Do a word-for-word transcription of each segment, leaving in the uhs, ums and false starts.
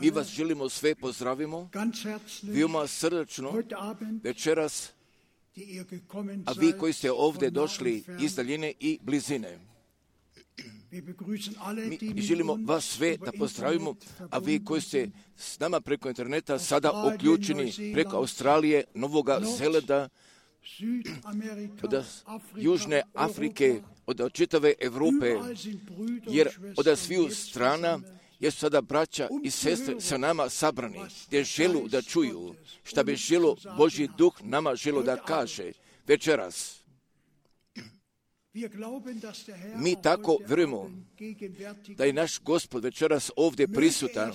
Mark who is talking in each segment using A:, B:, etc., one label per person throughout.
A: Mi vas želimo sve pozdravimo, veoma srdačno večeras, a vi koji ste ovdje došli iz daljine i blizine. Mi želimo vas sve da pozdravimo, a vi koji ste s nama preko interneta sada uključeni preko Australije, Novoga Zelanda, od Južne Afrike, od čitave Evrope, jer od sviju strana jer su sada braća i sestre sa nama sabrani, gdje želu da čuju šta bi želo Božji duh nama želo da kaže večeras. Mi tako vjerujemo da je naš Gospod večeras ovdje prisutan,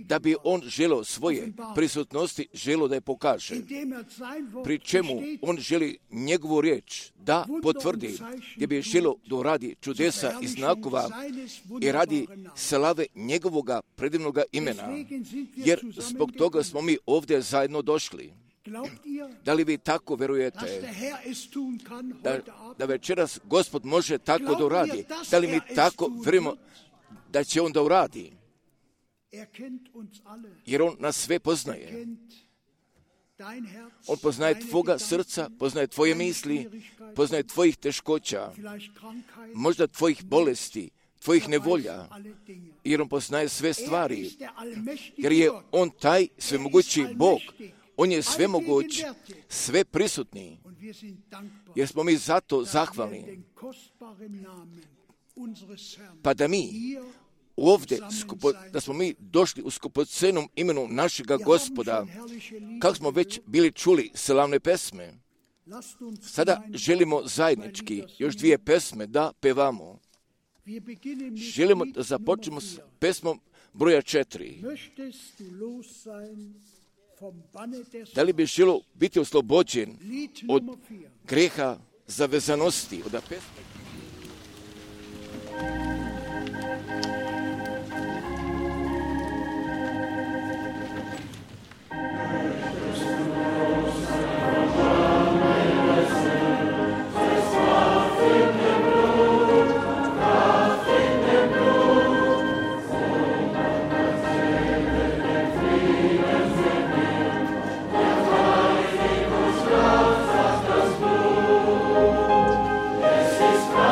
A: da bi on želo svoje prisutnosti želo da je pokaže. Pri čemu on želi njegovu riječ da potvrdi, gdje bi želo da radi čudesa i znakova i radi slave njegovoga predivnoga imena, jer zbog toga smo mi ovdje zajedno došli. Da li vi tako vjerujete da, da večeras Gospod može tako da uradi? Da li mi tako vjerujemo da će on da uradi? Jer on nas sve poznaje. On poznaje tvoga srca, poznaje tvoje misli, poznaje tvojih teškoća, možda tvojih bolesti, tvojih nevolja, jer on poznaje sve stvari, jer je on taj svemogući Bog. On je svemoguć, sve prisutni, jer smo mi zato zahvalni. Pa da mi ovdje, da smo mi došli u skupocenom imenu našega Gospoda, kako smo već bili čuli slavne pesme, sada želimo zajednički još dvije pesme da pevamo. Želimo da započnemo s pesmom broja četiri. Da li bi želo biti oslobođen od greha zavezanosti, od pesme?
B: This is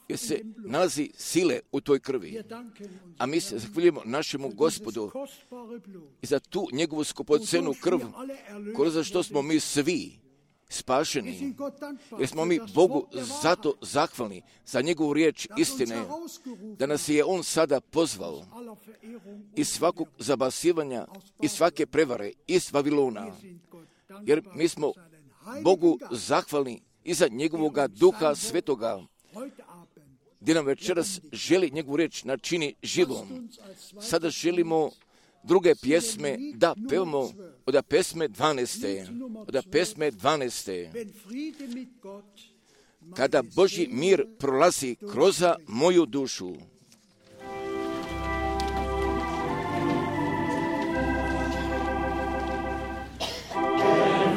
A: jer se nalazi sile u toj krvi. A mi se zahvaljujemo našemu Gospodu i za tu njegovu skupocenu krv, kroz što smo mi svi spašeni, jer smo mi Bogu zato zahvalni za njegovu riječ istine, da nas je On sada pozvao iz svakog zabasivanja, iz svake prevare, iz Vavilona, jer mi smo Bogu zahvalni i za njegovoga Duha Svetoga, gdje nam večeras želi njegovu riječ načini živom. Sada želimo druge pjesme da pevamo od pesme dvanaeste. Od pesme dvanaeste. Kada Božji mir prolazi kroz moju dušu.
B: Amen.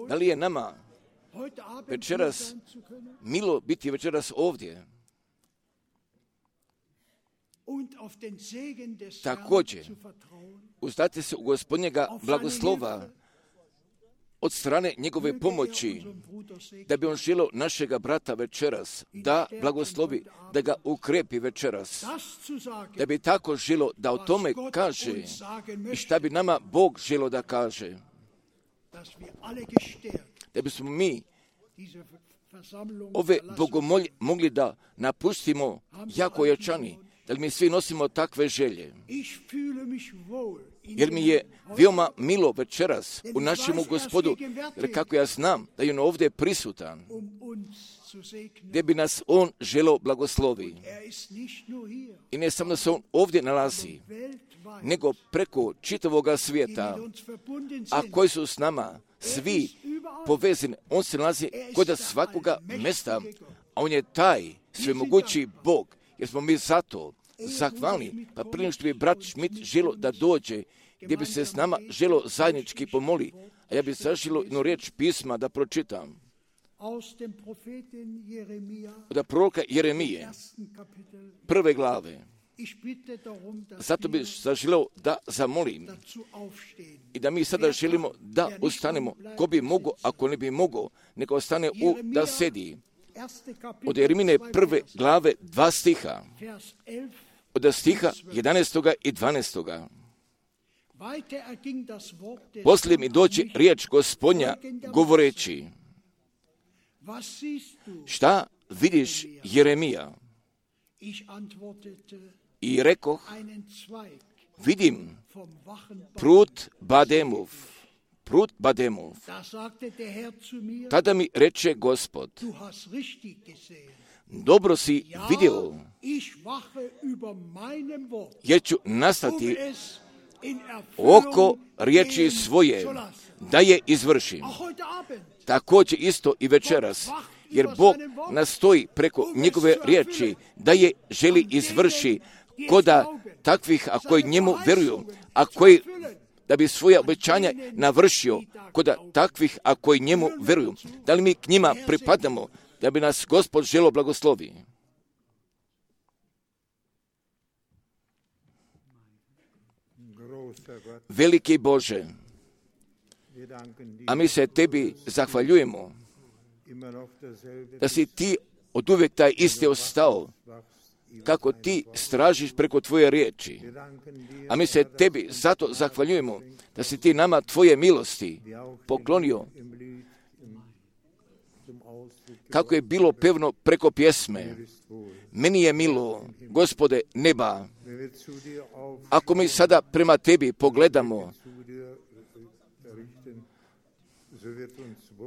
A: Da li je nama večeras milo biti večeras ovdje? Također, uzdate se u Gospodnjega blagoslova od strane njegove pomoći, da bi on želio našega brata večeras, da blagoslovi, da ga ukrepi večeras, da bi tako želio da o tome kaže i šta bi nama Bog želio da kaže, da bismo mi ove bogomolje mogli da napustimo jako ojačani, da li mi svi nosimo takve želje. Jer mi je veoma milo večeras u našemu Gospodu, jer kako ja znam da je on ovdje prisutan, gdje bi nas on želeo blagoslovi. I ne samo da se on ovdje nalazi, nego preko čitavoga svijeta, a koji su s nama svi povezani. On se nalazi kod svakoga mjesta, a on je taj svemogući Bog, jer smo mi zato zahvalni. Pa prije nego što bi brat Schmidt želio da dođe, gdje bi se s nama želio zajednički pomoli, a ja bih zaželio jednu riječ pisma da pročitam. Od proroka Jeremije, prve glave. Zato bih zaželio da zamolim i da mi sada želimo da ustanemo. Ko bi mogao, ako ne bi mogao, neka ostane u da sedi. Od Jeremine prve glave dva stiha. Od stiha jedanaestoga i dvanaestoga. Poslije mi doći riječ Gospodnja govoreći: šta vidiš, Jeremija? I rekoh: vidim prut Bademov, prut Bademov. Tada mi reče Gospod: dobro si vidio, jer ću nastati oko riječi svoje, da je izvršim. Također isto i večeras, jer Bog nastoji preko njegove riječi da je želi izvrši koda takvih, a koji njemu veruju, a koji da bi svoje obećanja navršio koda takvih, a koji njemu veruju. Da li mi k njima pripadamo, da bi nas Gospod želio blagoslovi? Veliki Bože, a mi se tebi zahvaljujemo da si ti od uvijek taj isti ostao, kako ti stražiš preko tvoje riječi. A mi se tebi zato zahvaljujemo da si ti nama tvoje milosti poklonio, kako je bilo pevno preko pjesme. Meni je milo, Gospode neba. Ako mi sada prema tebi pogledamo,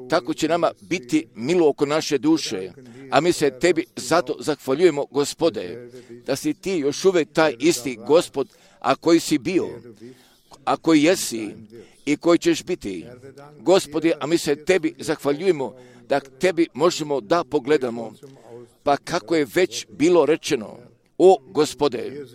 A: tako će nama biti milo oko naše duše. A mi se tebi zato zahvaljujemo, Gospode, da si ti još uvijek taj isti Gospod, a koji si bio, a koji jesi i koji ćeš biti. Gospode, a mi se tebi zahvaljujemo da tebi možemo da pogledamo, pa kako je već bilo rečeno, o Gospode,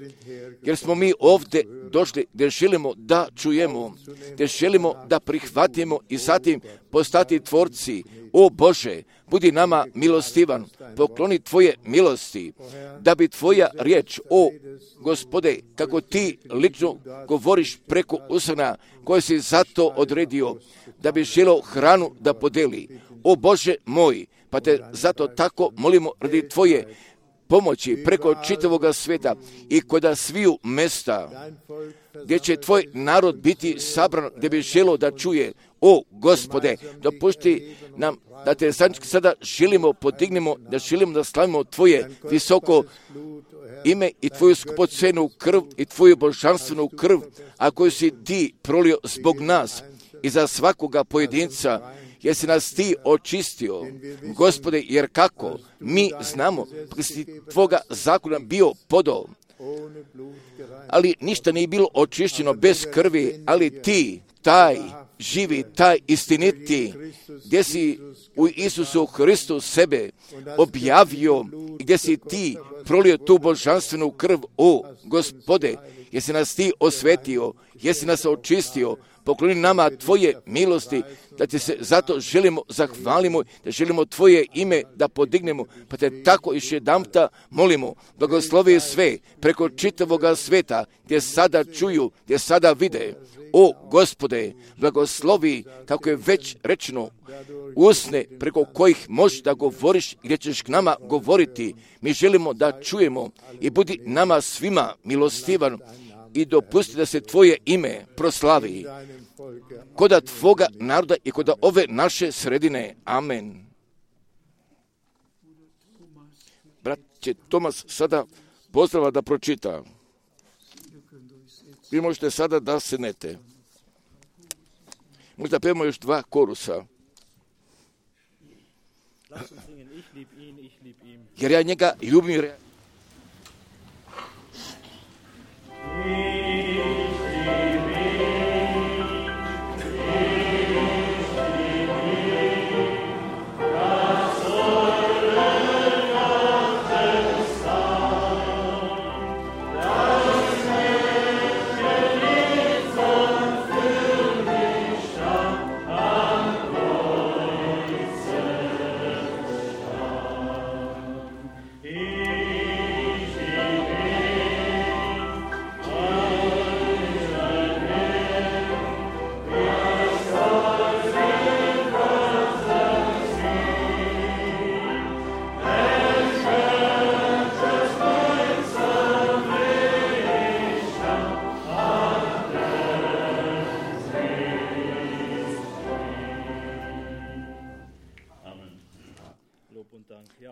A: jer smo mi ovdje došli gdje želimo da čujemo, gdje želimo da prihvatimo i zatim postati tvorci. O Bože, budi nama milostivan, pokloni tvoje milosti, da bi tvoja riječ, o Gospode, kako ti lično govoriš preko usana koje si zato odredio, da bi želio hranu da podeli. O Bože moj, pa te zato tako molimo radi tvoje pomoći preko čitavoga svijeta i koda sviju mesta gdje će tvoj narod biti sabran, gdje bi želio da čuje. O Gospode, dopušti nam da te sada želimo, podignemo, da želimo da slavimo tvoje visoko ime i tvoju skupocenu krv i tvoju božanstvenu krv, a koju si ti prolio zbog nas i za svakoga pojedinca, jer si nas ti očistio, Gospode, jer kako mi znamo, da si tvoga zakona bio podao, ali ništa nije bilo očišćeno bez krvi, ali ti, taj živi, taj istiniti, gdje si u Isusu Hristu sebe objavio, gdje si ti prolio tu božanstvenu krv, o Gospode, jesi nas ti osvetio, jesi nas očistio, pokloni nama Tvoje milosti, da Ti se zato želimo, zahvalimo, da želimo Tvoje ime da podignemo, pa Te tako još jedanputa molimo, blagoslovi sve preko čitavoga sveta, gdje sada čuju, gdje sada vide. O Gospode, blagoslovi, kako je već rečeno, usne preko kojih možeš da govoriš, gdje ćeš k nama govoriti. Mi želimo da čujemo i budi nama svima milostivan i dopusti da se Tvoje ime proslavi koda Tvoga naroda i koda ove naše sredine. Amen. Brat će Tomas sada pozdrava da pročita. Vi možete sada da sednete. Možda pevamo još dva korusa. Jer ja njega ljubim. Jer ja...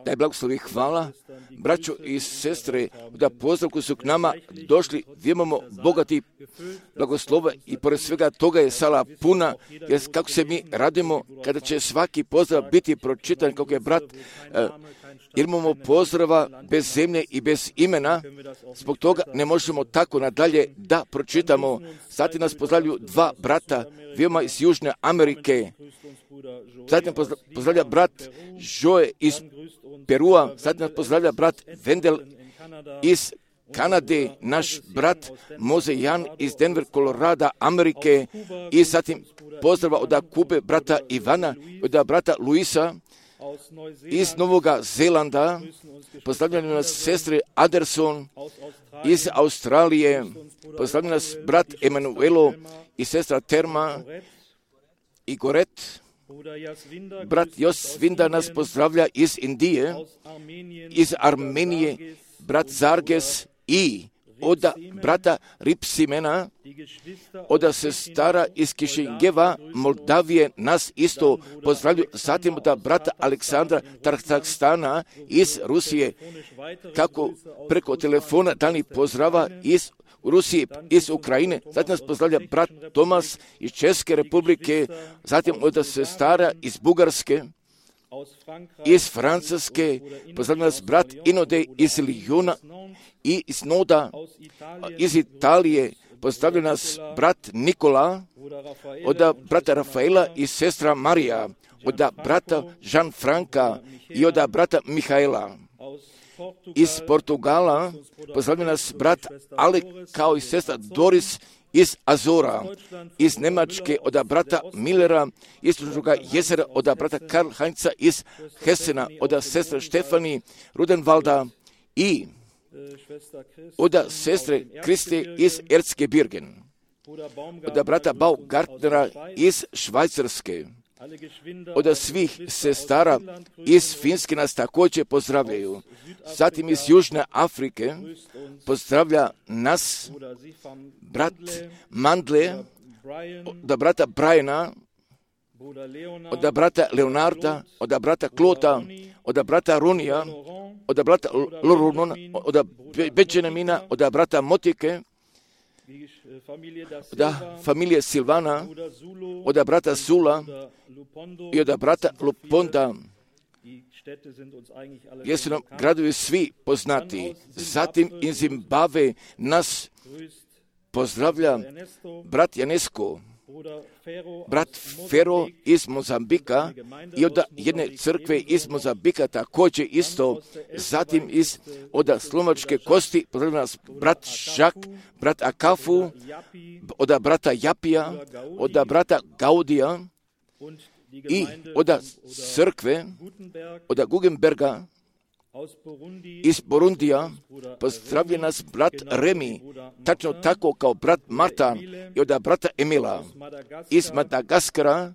A: Daj blagoslovi, hvala, braćo i sestre, da pozdrav koji su k nama došli, gdje imamo bogati blagoslova i pored svega toga je sala puna, jer kako se mi radimo kada će svaki pozdrav biti pročitan, kako je brat, eh, jer imamo pozdrava bez zemlje i bez imena, zbog toga ne možemo tako nadalje da pročitamo. Zatim nas pozdravljaju dva brata, veoma iz Južne Amerike. Zatim pozdravlja brat Joe iz Perua, zatim nas pozdravlja brat Vendel iz Kanade, naš brat Moze Jan iz Denver, Colorado, Amerike, i zatim pozdrava od Kube brata Ivana, od brata Luisa iz Novoga Zelanda, pozdravljaju nas sestre Anderson iz Australije, pozdravljaju nas brat Emanuelo i sestra Terma i Goret. Brat Josvinda nas pozdravlja iz Indije, iz Armenije, brat Zarges i od brata Ripsimena, od sestara iz Kišingeva, Moldavije, nas isto pozdravljaju. Zatim od brata Aleksandra Tarhstana iz Rusije, kako preko telefona dani pozdrava iz Rusije, iz Ukrajine. Zatim nas pozdravlja brat Tomas iz Česke republike, zatim od sestara iz Bugarske, iz Francuske, pozdravlja nas brat Inode iz Lyona i iz Noda, iz Italije, pozdravlja nas brat Nikola, od brata Rafaela i sestra Marija, od brata Jean Franka i od brata Mihaela. Iz Portugala pozdravlja nas brat Alek kao i sestra Doris iz Azora, iz Njemačke od brata Millera, iz Tužnoga jezera od brata Karl Heinza iz Hessena, od sestre Štefani Rudenvalda i od sestre Kriste iz Erzgebirgen, od brata Baugartnera iz Švajcarske. Od svih sestara iz Finske nas također pozdravljaju. Zatim iz Južne Afrike pozdravlja nas brat Mandle, od brata Briana, od brata Leonarda, od brata Klota, od brata Ronija, od brata Lorunona, od Benjamina, od brata Motike, od familije Silvana, od brata Zula i od brata Luponda, jer su nam gradovi svi poznati. Zatim iz Zimbabve nas pozdravlja brat Janesko, brat Fero iz Mozambika i od jedne crkve iz Mozambika također isto, zatim iz od Slovačke Kosti, pozdravljam nas brat Žak, brat Akafu, od brata Japija, od brata Gaudija i od crkve, od Guggenberga, iz Burundija, pozdravlja nas brat Remi, tačno tako kao brat Martan i od brata Emila. Iz Madagaskara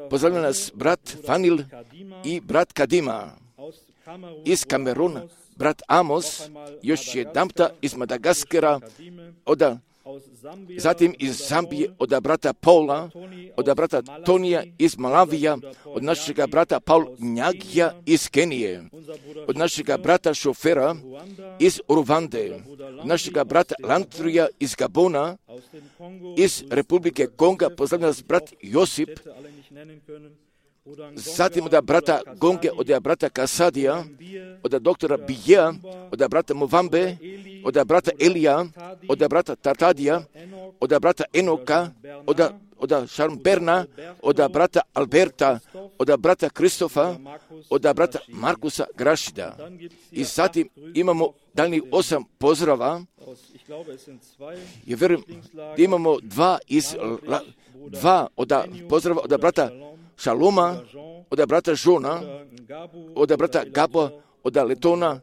A: pozdravlja nas brat Fanil i brat Kadima. Iz Kameruna brat Amos, još jedanputa iz Madagaskara, od zatim iz Zambije od brata Paula, od brata Tonija iz Malavija, od našega brata Paul Njagija iz Kenije, od našega brata šofera iz Rwande, od našega brata Lantrija iz Gabona, iz Republike Konga, pozdravlja nas brat Josip, zatim od brata Gonge, od brata Kasadija, od doktora Bijea, od brata Movambe, od brata Elija, od brata Tatadija, od brata Enoka, od, od Šarmberna, od brata Alberta, od brata Kristofa, od brata Markusa Grašida. I zatim imamo daljnjih osam pozdrava. Ja vjerujem da imamo dva iz dva od pozdrava od brata Šaloma, od brata Žona, od brata Gabo, od Letona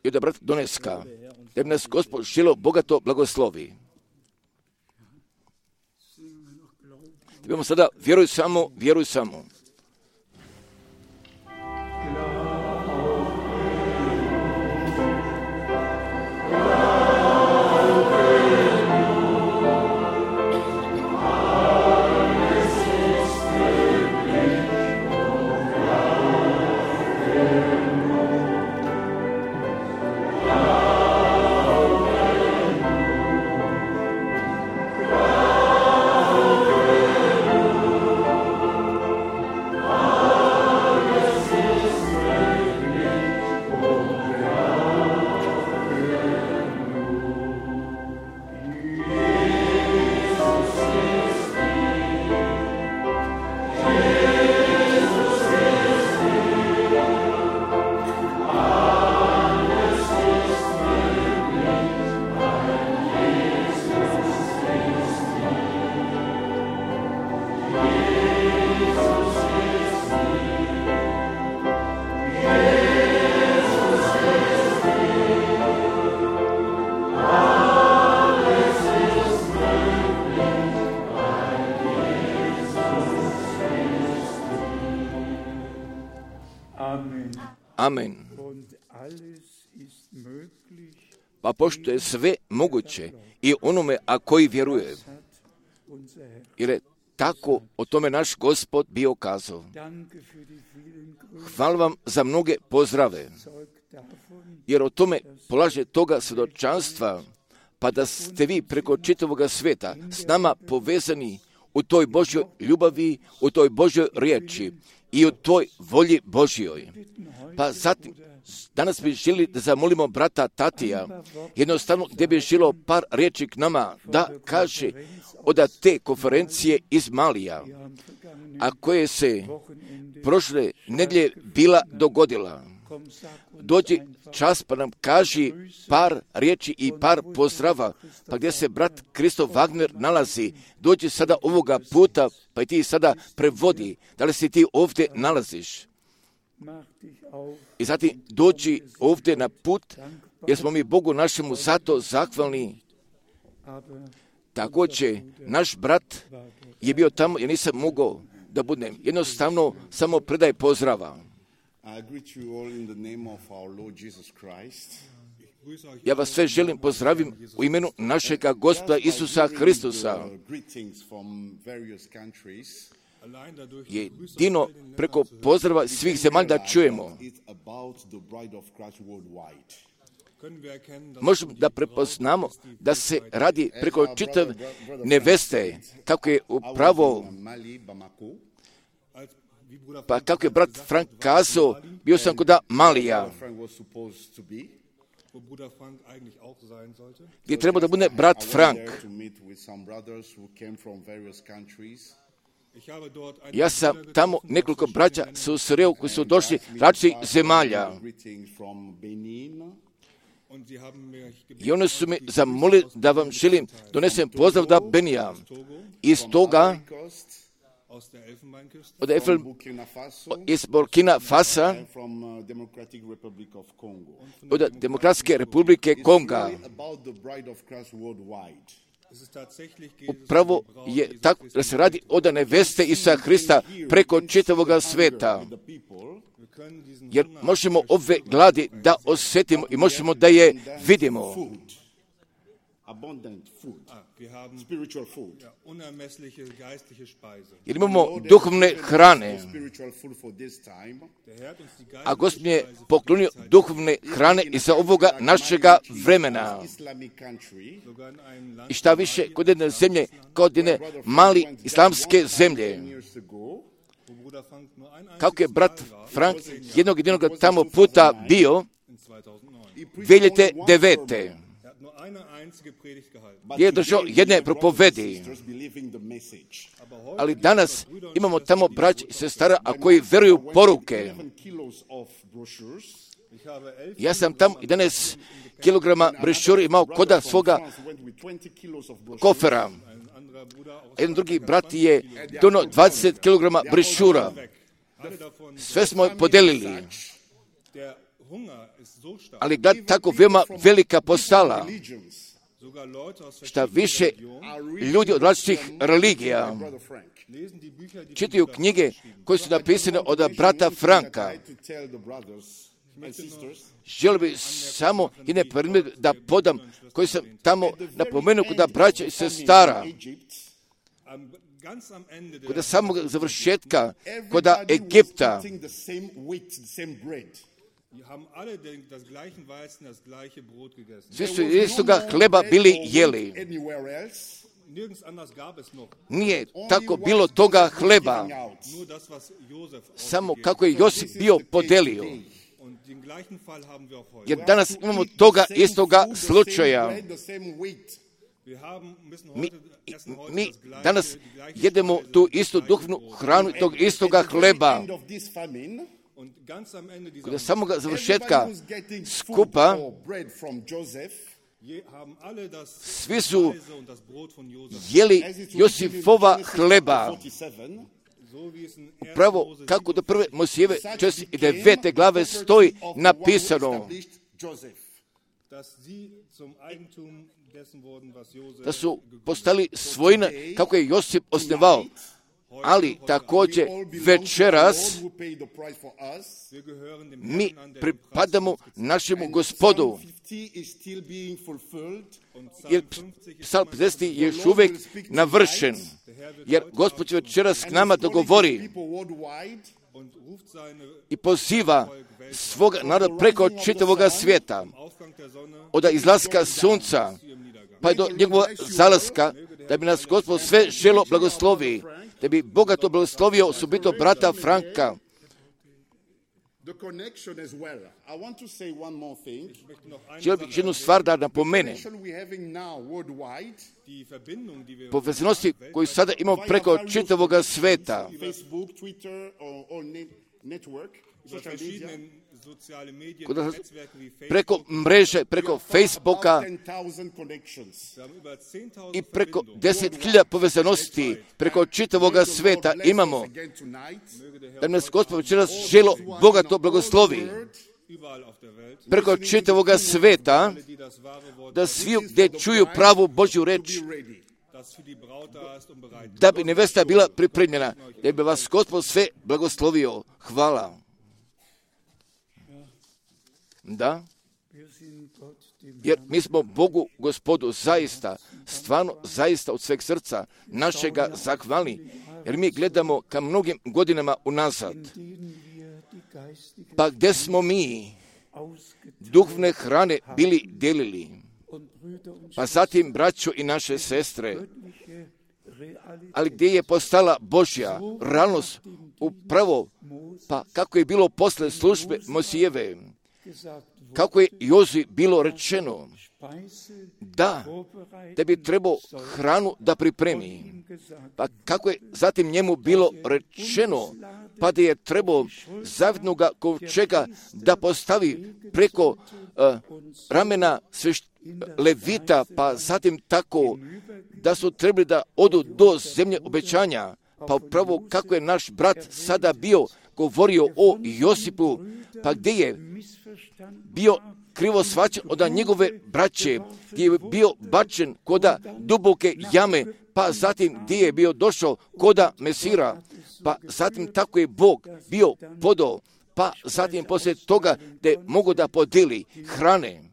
A: i od brata Doneska. Da bi nas Gospod želo bogato blagoslovi. Idemo sada, vjeruj samo, vjeruj samo. Amen. Pa pošto je sve moguće i onome a koji vjeruje, jer je tako o tome naš Gospod bio kazao. Hvala vam za mnoge pozdrave, jer o tome polaže toga svjedočanstva, pa da ste vi preko čitavoga sveta s nama povezani u toj Božjoj ljubavi, u toj Božjoj riječi i u toj volji Božjoj. Pa zatim, danas bi želi da zamolimo brata Tatija, jednostavno gdje bi želo par riječi k nama, da kaže od te konferencije iz Malija, a koje se prošle nedjelje bila dogodila. Dođi čas pa nam kaži par riječi i par pozdrava, pa gdje se brat Kristof Wagner nalazi. Dođi sada ovoga puta, pa i ti sada prevodi. Da li se ti ovdje nalaziš? I zatim dođi ovdje na put, jer smo mi Bogu našemu zato zahvalni. Također, naš brat je bio tamo, ja nisam mogao da budem. Jednostavno, samo predaj pozdrava. Ja vas sve želim pozdravim u imenu našega Gospoda Isusa Hristusa. Jedino preko pozdrava svih zemalja da čujemo. Možemo da prepoznamo da se radi preko čitave neveste, kako je upravo, pa kako je brat Frank kazao, bio sam kod Malija. gdje treba da bude brat Frank. Ja sam tamo nekoliko braća susreo koji su došli različitih zemalja. I oni su mi zamolili da vam želim donesem pozdrav da Benija. Iz toga, od Elfen, iz Burkina Fasa, od Demokratske republike Konga. Upravo je tako da se radi od neveste Isusa Hrista preko čitavoga sveta. Jer možemo ove gladi da osjetimo i možemo da je vidimo. Jer imamo duhovne hrane. A Gospod je poklonio duhovne hrane i za ovoga našega vremena. I šta više, kod jedne zemlje, kod jedne mali islamske zemlje. Kako je brat Frank jednog jedinog tamo puta bio, dvije hiljade devete. je držao jedne propovedi. Ali danas imamo tamo braća i sestara, a koji veruju poruke. Ja sam tamo jedanaest kilograma brošura imao koda svoga kofera. Jedan drugi brat je donio dvadeset kilograma brošura. Sve smo podelili. Ali glad tako veoma velika postala. Šta više ljudi od različitih religija čitaju knjige koje su napisane od brata Franka. Želio bih samo jedne primjer da podam koji sam tamo napomenuo kod braća i sestara. Kod samog završetka, kod Egipta. Svi su istoga hleba bili jeli. Nije tako bilo toga hleba. Samo kako je Josip bio podelio. Jer danas imamo toga istoga slučaja. Mi, mi danas jedemo tu istu duhovnu hranu i tog istoga hleba. Kod samoga završetka skupa svi su jeli Josifova hleba. Upravo kako do prve Mojsijeve četrdeset devete glave stoji napisano da su postali svojine kako je Josip osnivao. Ali također večeras mi pripadamo našemu Gospodu. Jer Psalm pedeset je još uvijek navršen. Jer Gospod će večeras k nama dogovori i poziva svoga naroda preko čitavoga svijeta. Od izlaska sunca pa do njegovog zalaska, da bi nas Gospod sve želo blagoslovi, da bi bogato blagoslovio osobito brata Franka. Želio bih jednu stvar da napomene. Povezanosti koju sada imamo preko čitavoga sveta. Preko mreže, preko Facebooka i preko deset hiljada povezanosti preko čitavoga sveta imamo. Da nas Gospod večeras želo bogato blagoslovi preko čitavoga sveta, da svi gdje čuju pravu Božju reč, da bi nevesta bila pripremljena, da bi vas Gospod sve blagoslovio. Hvala. Da, jer mi smo Bogu Gospodu zaista, stvarno zaista od sveg srca našega zahvalni, jer mi gledamo ka mnogim godinama unazad. Pa gdje smo mi duhovne hrane bili delili, pa zatim braćo i naše sestre, ali gdje je postala Božja realnost upravo, pa kako je bilo posle službe Mojsijeve, kako je Jozui bilo rečeno da, da bi trebao hranu da pripremi. Pa kako je zatim njemu bilo rečeno, pa da je trebao zavjetnoga kovčega da postavi preko uh, ramena svešt, Levita, pa zatim tako da su trebali da odu do zemlje obećanja. Pa upravo kako je naš brat sada bio govorio o Josipu, pa gdje je bio krivo shvaćen od njegove braće, gdje je bio bačen koda duboke jame, pa zatim gdje je bio došao koda Mesira, pa zatim tako je Bog bio podao, pa zatim poslije toga da je mogo da podeli hrane,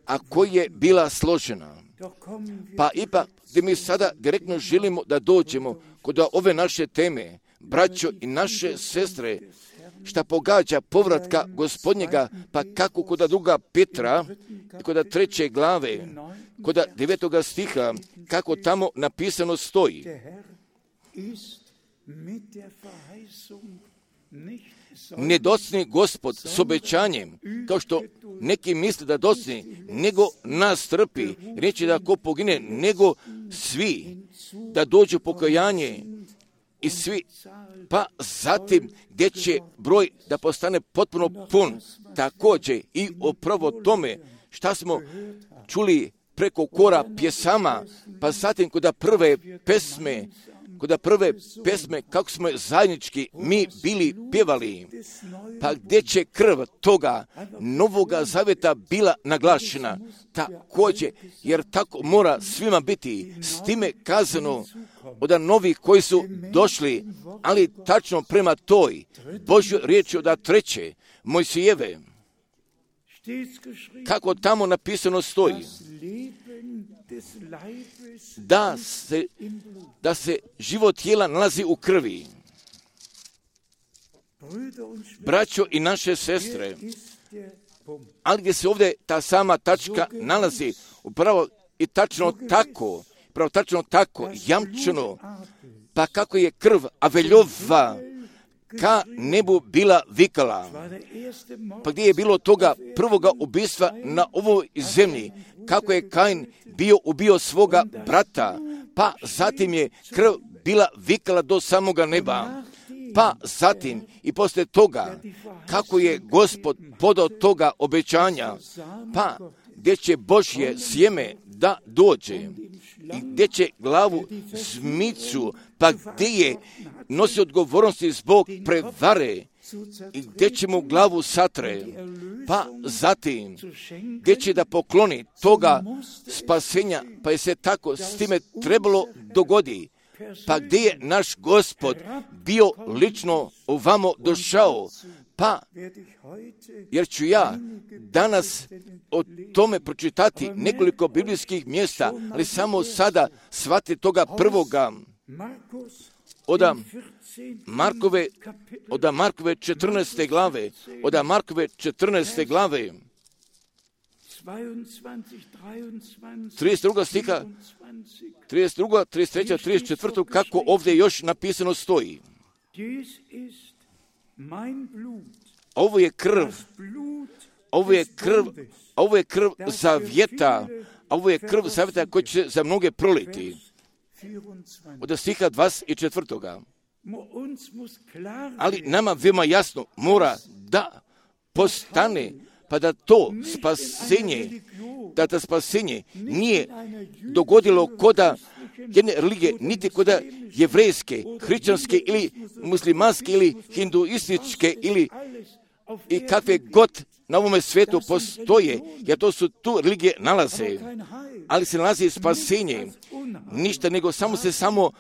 A: a koja je bila složena. Pa ipak gdje mi sada direktno želimo da dođemo kod ove naše teme, braćo i naše sestre, šta pogađa povratka Gospodnjega, pa kako kod druga Petra, kod treće glave, kod devetoga stiha, kako tamo napisano stoji. Ne docni Gospod s obećanjem, kao što neki misle da docni, nego nas trpi, reći da ko pogine, nego svi, da dođu pokajanje i svi, pa zatim gdje će broj da postane potpuno pun. Također i upravo tome šta smo čuli preko kora pjesama, pa zatim kod prve pesme, kod prve pesme kako smo zajednički mi bili pjevali, pa gdje će krv toga novoga zavjeta bila naglašena. Također, jer tako mora svima biti, s time kazano od novih koji su došli, ali tačno prema toj Božjoj riječi od treće Mojsijeve, kako tamo napisano stoji, da se, da se život tijela nalazi u krvi. Braćo i naše sestre, ali gdje se ovdje ta sama tačka nalazi, upravo i tačno tako, upravo tačno tako, jamčeno, pa kako je krv Aveljova ka nebu bila vikala, pa gdje je bilo toga prvoga ubistva na ovoj zemlji, kako je Kain bio ubio svoga brata, pa zatim je krv bila vikala do samoga neba, pa zatim i poslije toga, kako je Gospod podao toga obećanja, pa gdje će Božje sjeme da dođe i gdje će glavu zmicu, pa gdje je nosi odgovornosti zbog prevare i gdje će mu glavu satre, pa zatim gdje će da pokloni toga spasenja, pa je se tako s time trebalo dogodi, pa gdje je naš Gospod bio lično ovamo došao, pa jer ću ja danas o tome pročitati nekoliko biblijskih mjesta, ali samo sada shvati toga prvoga od Markove, od Markove četrnaeste glave, od Markove četrnaeste glave, trideset druga stiha, trideset druga, trideset treća, trideset četvrta, kako ovdje još napisano stoji. Ovo je krv, ovo je krv, ovo je krv zavjeta, ovo je krv zavjeta koji će za mnoge proliti. Od stiha dvadeset četvrtoga. Ali nama veoma jasno mora da postane, pa da to spasenje, da to spasenje nije dogodilo koda jedne religije, niti koda jevrejske, hrišćanske ili muslimanske ili hinduističke ili i kakve god na ovome svijetu postoje, jer to su tu religije nalaze, ali se nalazi spasenje, ništa nego samo se samo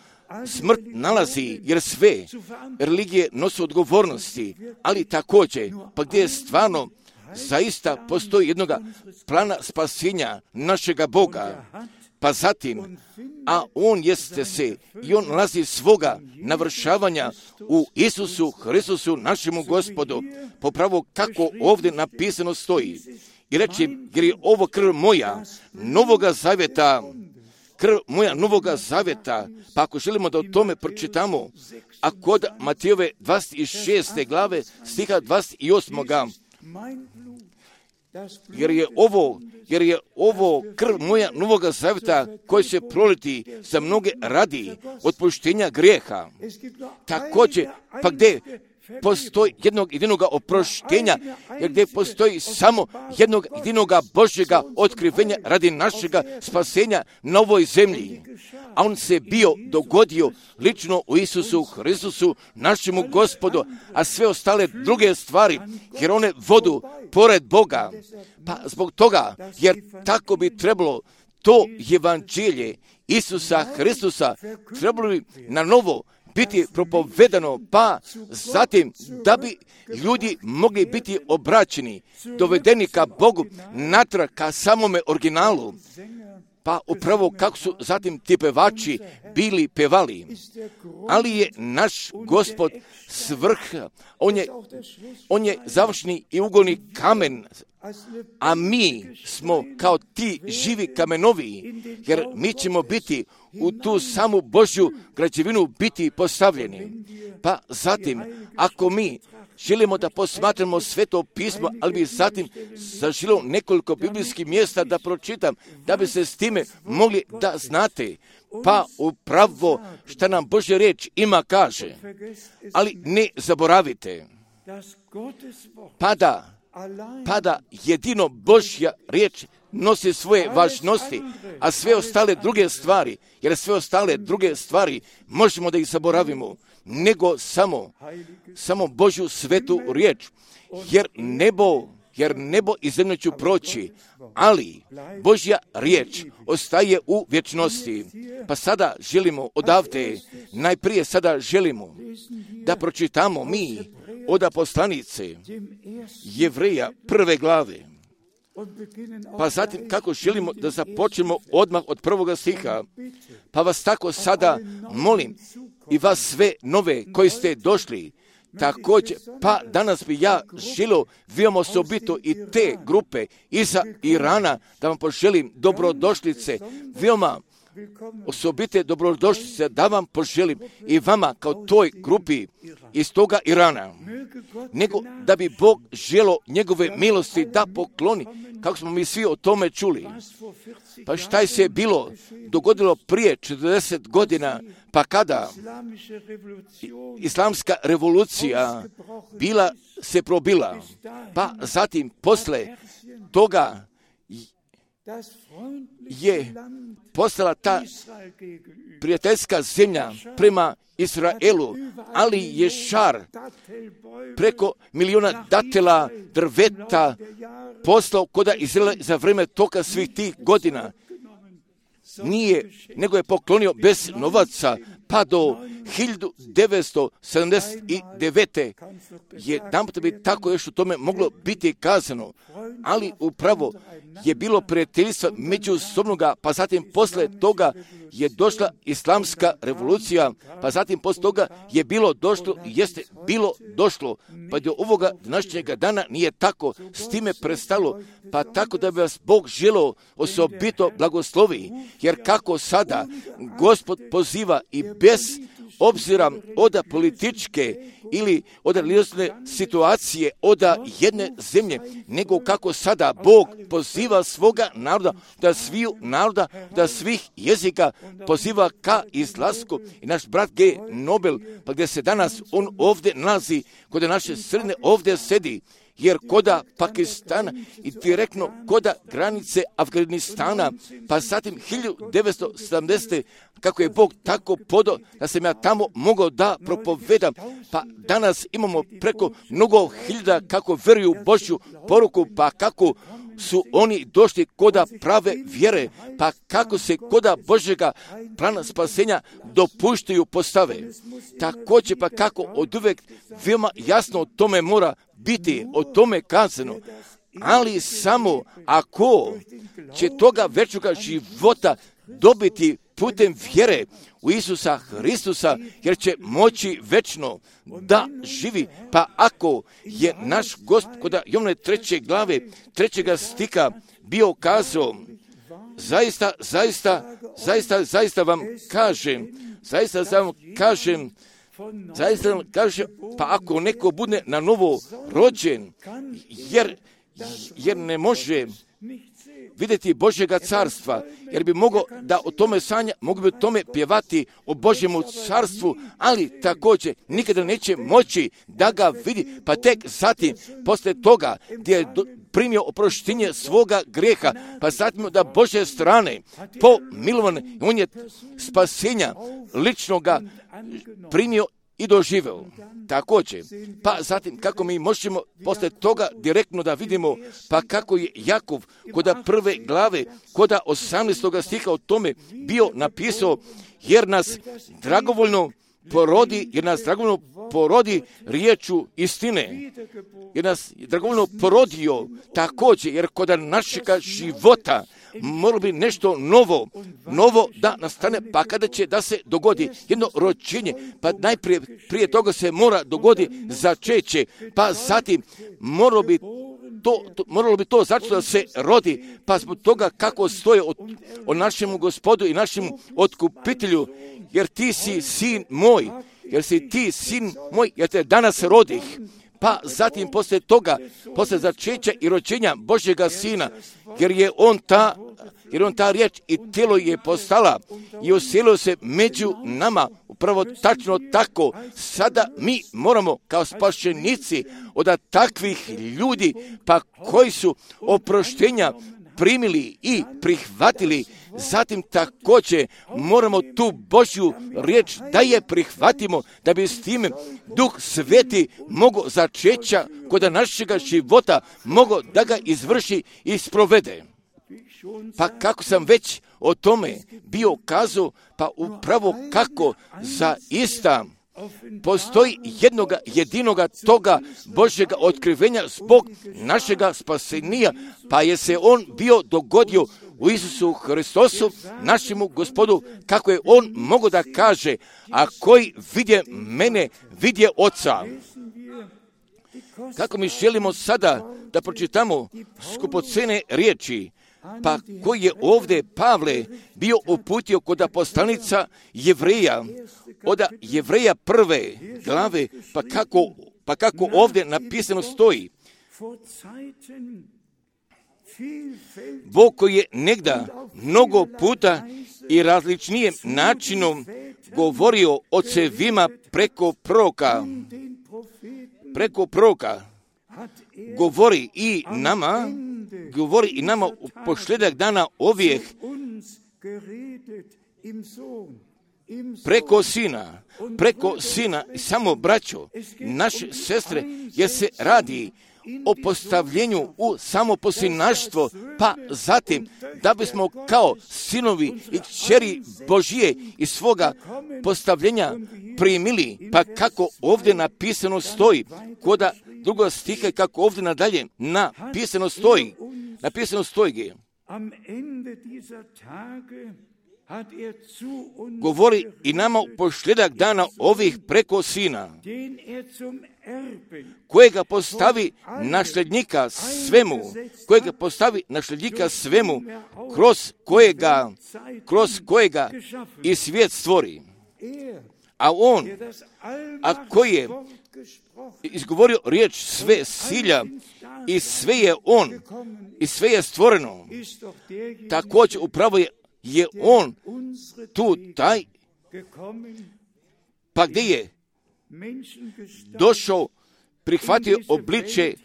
A: smrt nalazi, jer sve religije nose odgovornosti, ali također, pa gdje je stvarno zaista postoji jednoga plana spasenja našega Boga, pa zatim, a on jeste se i on nalazi svoga navršavanja u Isusu Hristusu, našemu Gospodu, popravo kako ovdje napisano stoji. I reći, jer je ovo krv moja, novoga zavjeta, krv moja novoga zavjeta, pa ako želimo da o tome pročitamo, a kod Matijove dvadeset šeste glave, stiha dvadeset osam. jer je ovo, jer je ovo krv moja novoga zavjeta koji se proliti za mnoge radi otpuštenja grijeha. Također, pa gdje postoji jednog jedinoga oproštenja, jer gdje postoji samo jednog jedinoga Božjega otkrivenja radi našega spasenja na ovoj zemlji. A on se bio dogodio lično u Isusu Hristusu, našemu Gospodu, a sve ostale druge stvari, jer one vodu pored Boga. Pa zbog toga, jer tako bi trebalo to evanđelje Isusa Hristusa trebalo bi na novo biti propovedano, pa zatim da bi ljudi mogli biti obraćeni, dovedeni ka Bogu, natrag ka samome originalu. Pa upravo kako su zatim ti pevači bili pevali. Ali je naš Gospod svrh, on je, on je završni i ugolni kamen, a mi smo kao ti živi kamenovi, jer mi ćemo biti u tu samu Božju građevinu biti postavljeni. Pa zatim, ako mi želimo da posmatramo Sveto pismo, ali bi zatim zaželio nekoliko biblijskih mjesta da pročitam, da bi se s time mogli da znate, pa upravo šta nam Božja riječ ima kaže. Ali ne zaboravite, pada, pada jedino Božja riječ nosi svoje važnosti, a sve ostale druge stvari, jer sve ostale druge stvari možemo da ih zaboravimo, nego samo, samo Božju svetu riječ, jer nebo, jer nebo i zemlju ću proći, ali Božja riječ ostaje u vječnosti. Pa sada želimo odavde, najprije sada želimo da pročitamo mi od poslanice Jevreja prve glave. Pa zatim kako želimo da započnemo odmah od prvoga stiha, pa vas tako sada molim i vas sve nove koji ste došli, također, pa danas bi ja želio veoma osobito i te grupe iza Irana da vam poželim dobrodošlice, veoma osobite dobrodošlice da vam poželim i vama kao toj grupi iz toga Irana, nego da bi Bog želo njegove milosti da pokloni, kako smo mi svi o tome čuli. Pa šta je se bilo dogodilo prije četrdeset godina, pa kada islamska revolucija bila se probila, pa zatim posle toga je postala ta prijateljska zemlja prema Izraelu, ali je šar preko miliona datela drveta poslao koda Izraela za vreme toga svih tih godina. Nije, nego je poklonio bez novaca, pa do hiljadu devetsto sedamdeset devete. Jedan put bi tako još u tome moglo biti kazano, ali upravo je bilo prijateljstvo međusobnoga, pa zatim posle toga je došla islamska revolucija, pa zatim posle toga je bilo došlo, jeste bilo došlo, pa do ovoga današnjega dana nije tako, s time prestalo, pa tako da bi vas Bog želeo osobito blagoslovi, jer kako sada Gospod poziva i bez obzira od političke ili od religiozne situacije od jedne zemlje, nego kako sada Bog poziva svoga naroda, da sviju naroda, da svih jezika poziva ka izlasku. I naš brat G. Nobel, pa gdje se danas on ovdje nalazi, kod naše sredine ovdje sedi, jer koda Pakistana i direktno koda granice Afganistana, pa zatim hiljadu devetsto sedamdesete kako je Bog tako podao da sam ja tamo mogao da propovedam, pa danas imamo preko mnogo hiljada kako veruju Božju poruku, pa kako su oni došli koda prave vjere, pa kako se koda Božjega plana spasenja dopuštaju postave. Također pa kako od uvek veoma jasno o tome mora biti, o tome kazano, ali samo ako će toga večnoga života dobiti putem vjere u Isusa Hristusa, jer će moći večno da živi. Pa ako je naš Gospod kod Jovane treće glave, trećega stika bio kazao, zaista, zaista, zaista, zaista vam kažem, zaista vam kažem, zaista vam kažem, pa ako neko bude na novo rođen, jer jer ne može vidjeti Božjega carstva, jer bi mogao da o tome sanja, mogu bi o tome pjevati o Božjemu carstvu, ali također nikada neće moći da ga vidi, pa tek zatim, poslije toga, gdje je do, primio oproštenje svoga grijeha, pa zatim da Božje strane, po milovanje, on je spasenja ličnoga primio i doživeo. Također, pa zatim kako mi možemo poslije toga direktno da vidimo, pa kako je Jakov koda prve glave, koda osamnaestoga stiha o tome bio napisao, jer nas dragovoljno porodi, jer nas dragovoljno porodi riječu istine, jer nas dragovoljno porodio također, jer kod našega života moralo bi nešto novo, novo da nastane, pa kada će da se dogodi jedno rođenje, pa najprije prije toga se mora dogodi začeće, pa zatim moralo bi to, to, moralo bi to začeti da se rodi, pa zbog toga kako stoje o, o našemu Gospodu i našemu otkupitelju, jer ti si sin moj, jer si ti sin moj, jer te danas rodih. Pa zatim poslije toga, poslije začeća i rođenja Božjega Sina, jer je on ta, jer on ta riječ i tijelo je postala i uselio se među nama, upravo tačno tako. Sada mi moramo kao spašenici od takvih ljudi, pa koji su oproštenja primili i prihvatili, zatim također moramo tu Božju riječ da je prihvatimo, da bi s time Duh Sveti mogao začeća kod našega života, mogao da ga izvrši i sprovede. Pa kako sam već o tome bio kazao, pa upravo kako zaista postoji jednoga jedinoga toga Božjega otkrivenja zbog našega spasenija, pa je se on bio dogodio u Isusu Hristosu, našemu Gospodu, kako je on mogao da kaže, a koji vidje mene, vidje Oca. Kako mi želimo sada da pročitamo skupocene riječi, pa koji je ovdje Pavle bio uputio kod poslanica Jevreja, od Jevreja prve glave, pa kako, pa kako ovdje napisano stoji. Bog koji je negda mnogo puta i različnijim načinom govorio ocevima preko proroka, preko proroka, govori i nama, govori i nama u posljedak dana ovih preko sina, preko sina, samo braćo, naše sestre, jer se radi o postavljenju u samoposinaštvo, pa zatim da bismo kao sinovi i kćeri Božije iz svoga postavljenja primili, pa kako ovdje napisano stoji, koda drugo stiha kako ovdje nadalje napisano stoji, napisano stoji, govori i nama u posljedak dana ovih preko sina, kojega postavi nasljednika svemu, kojega postavi nasljednika svemu, kroz kojega, kroz kojega i svijet stvori. A on, a koji je izgovorio riječ sve silja i sve je on, i sve je stvoreno, također upravo je je on tu taj, pa gdje je došao, prihvatio obličje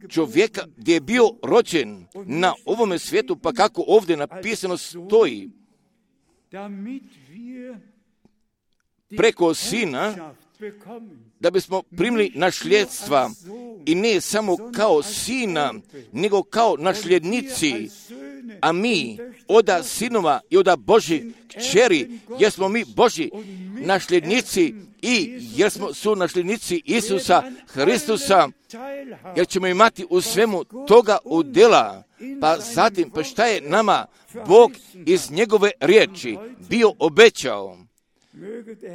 A: čovjeka, gdje je bio rođen na ovome svijetu, pa kako ovdje napisano stoji, preko sina, da bismo primili nasljedstva i ne samo kao sina, nego kao nasljednici, a mi oda sinova i oda Božji kćeri, jer smo mi Božji nasljednici i jer smo su nasljednici Isusa Hristusa, jer ćemo imati u svemu toga udjela. Pa zatim, pa šta je nama Bog iz njegove riječi bio obećao?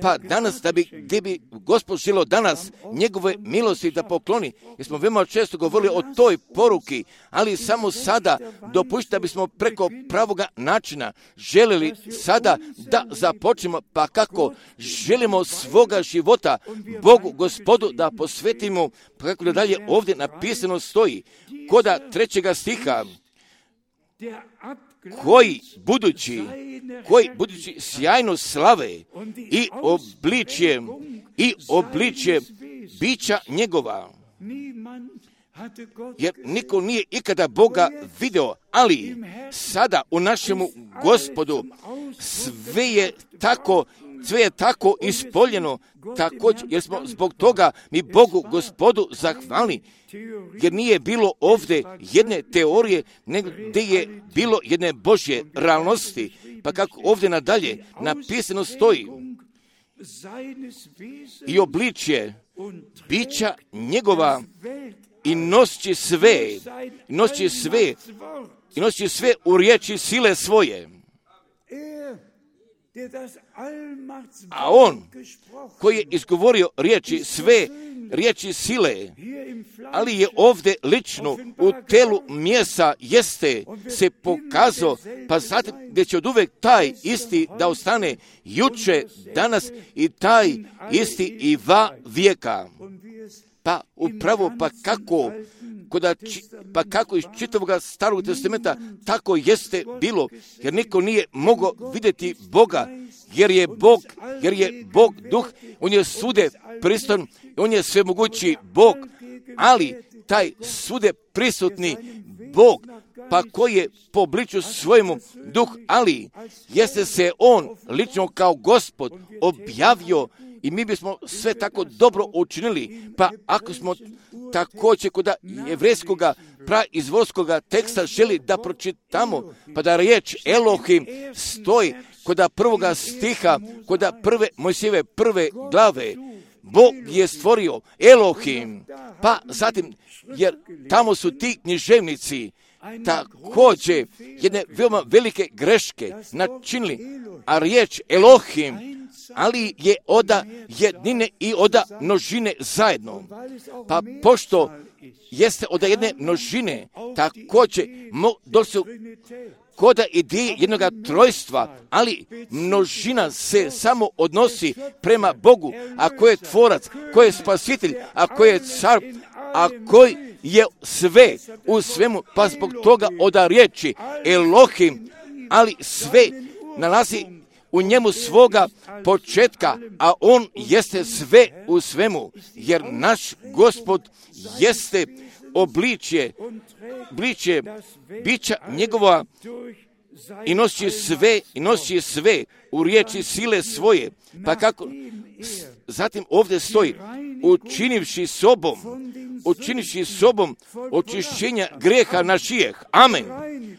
A: Pa danas, da bi, gdje bi Gospod želio danas njegove milosti da pokloni, jer smo veoma često govorili o toj poruki, ali samo sada dopušti da bismo preko pravoga načina željeli sada da započnemo, pa kako želimo svoga života Bogu, Gospodu, da posvetimo, pa kako da dalje ovdje napisano stoji, koda trećega stiha, koji budući, koji budući sjajno slave i obličje, i obličje bića njegova. Jer niko nije ikada Boga video, ali sada u našemu Gospodu sve je tako, sve je tako ispoljeno, također, jer smo zbog toga mi Bogu Gospodu zahvalni, jer nije bilo ovdje jedne teorije, nego gdje je bilo jedne Božje realnosti, pa kako ovdje nadalje napisano stoji, i obličje bića njegova, i nosi sve, i nosi sve, i nosi sve u riječi sile svoje. A on, koji je izgovorio riječi sve, riječi sile, ali je ovdje lično u telu mjesa jeste se pokazao, pa zatim gdje će od uvek taj isti da ostane juče, danas i taj isti i va vijeka. Pa upravo, pa kako, koda, pa kako iz čitavog Starog testamenta tako jeste bilo, jer niko nije mogao vidjeti Boga, jer je Bog, jer je Bog duh, on je sude pristan, on je svemogući Bog, ali taj sude prisutni Bog, pa koji je po obličju svojemu duh, ali jeste se on lično kao Gospod objavio. I mi bismo sve tako dobro učinili, pa ako smo također kod jevrejskog praizvorskog teksta želi da pročitamo, pa da riječ Elohim stoji kod prvoga stiha, kod prve Mojsijeve prve glave, Bog je stvorio Elohim, pa zatim, jer tamo su ti književnici također jedne veoma velike greške načinili, a riječ Elohim, ali je oda jednine i oda množine zajedno. Pa pošto jeste oda jedne množine, također došli koda ideje jednog trojstva, ali množina se samo odnosi prema Bogu, a ko je tvorac, ko je spasitelj, a ko je car, a koji je sve u svemu, pa zbog toga oda riječi Elohim, ali sve nalazi u njemu svoga početka, a on jeste sve u svemu, jer naš Gospod jeste obličje, obličje bića njegova i nosi sve, i nosi sve u riječi sile svoje. Pa kako, zatim ovdje stoji, učinivši sobom, učinivši sobom očišćenja greha našijeh. Amen.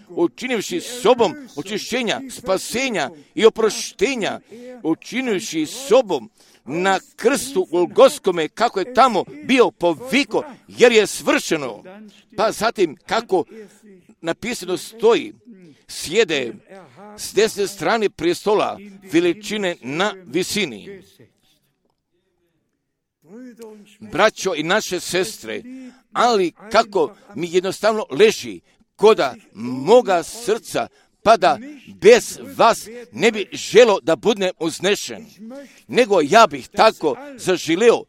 A: Učinivši sobom očišćenja, spasenja i oproštenja, učinivši sobom na krstu Golgotskome, kako je tamo bio poviko, jer je svršeno. Pa zatim kako napisano stoji, sjede s desne strane prijestola veličine na visini. Braćo i naše sestre, ali kako mi jednostavno leži koda moga srca, pa da bez vas ne bi želo da budem uznešen, nego ja bih tako zaželeo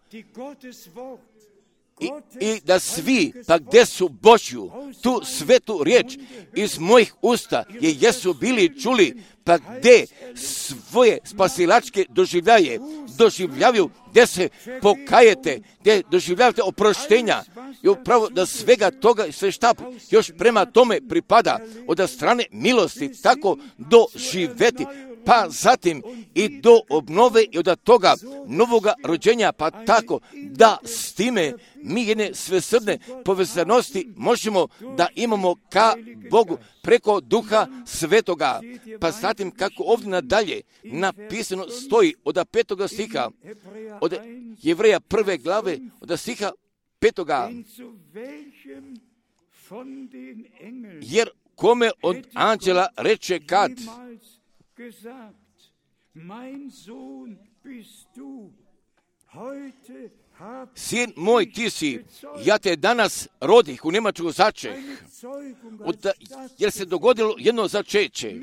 A: I, i da svi, pa gdje su Božju, tu svetu riječ iz mojih usta je jesu bili čuli, pa gdje svoje spasilačke doživljaje, doživljavaju, gdje se pokajete, gdje doživljavate oproštenja i upravo da svega toga i sve šta još prema tome pripada od strane milosti tako doživeti, pa zatim i do obnove i od toga novoga rođenja, pa tako da s time mi jedne svesrdne povezanosti možemo da imamo ka Bogu preko Duha Svetoga. Pa zatim kako ovdje nadalje napisano stoji od petoga stiha, od Jevreja prve glave, od stiha petoga. Jer kome od anđela reče kad, Sin moj, ti si, ja te danas rodih u Njemačku začeh, od, jer se dogodilo jedno začeće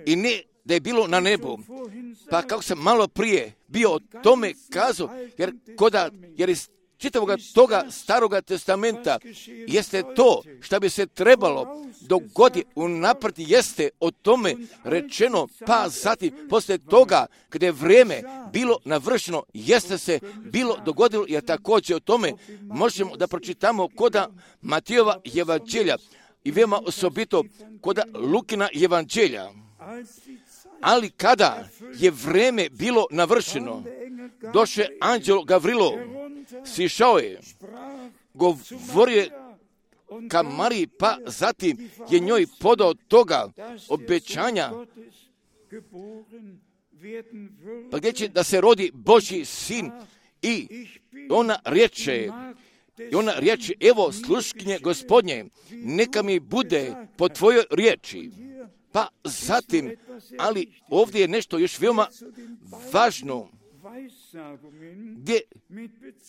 A: i ne da je bilo na nebu. Pa kako sam malo prije bio o tome kazao, jer, koda, jer iz čitavoga toga staroga testamenta jeste to što bi se trebalo dogoditi unaprijed, jeste o tome rečeno, pa zatim poslije toga kada je vrijeme bilo navršeno, jeste se bilo dogodilo, jer također o tome možemo da pročitamo koda Matijeva evanđelja i veoma osobito koda Lukina evanđelja. Ali kada je vrijeme bilo navršeno, došao je anđel Gavrilo, sišao je, govorio je ka Mariji, pa zatim je njoj podao toga obećanja, pa gdje će da se rodi Božji sin, i ona riječe, i ona riječi, evo sluškinje Gospodnje, neka mi bude po tvojoj riječi. Pa zatim, ali ovdje je nešto još veoma važno, gdje,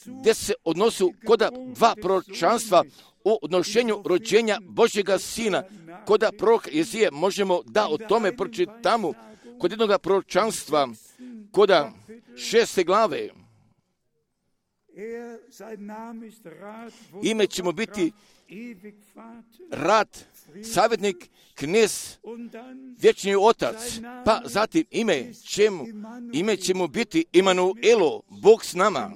A: gdje se odnosu koda dva proročanstva o odnošenju rođenja Božjega sina. Koda proroka Jezije možemo da o tome pročitamo kod jednog proročanstva, koda šeste glave. Ime će mu biti Rad, savjetnik, knez, vječni otac, pa zatim ime će mu, ime će mu biti Emanuelo, Bog s nama.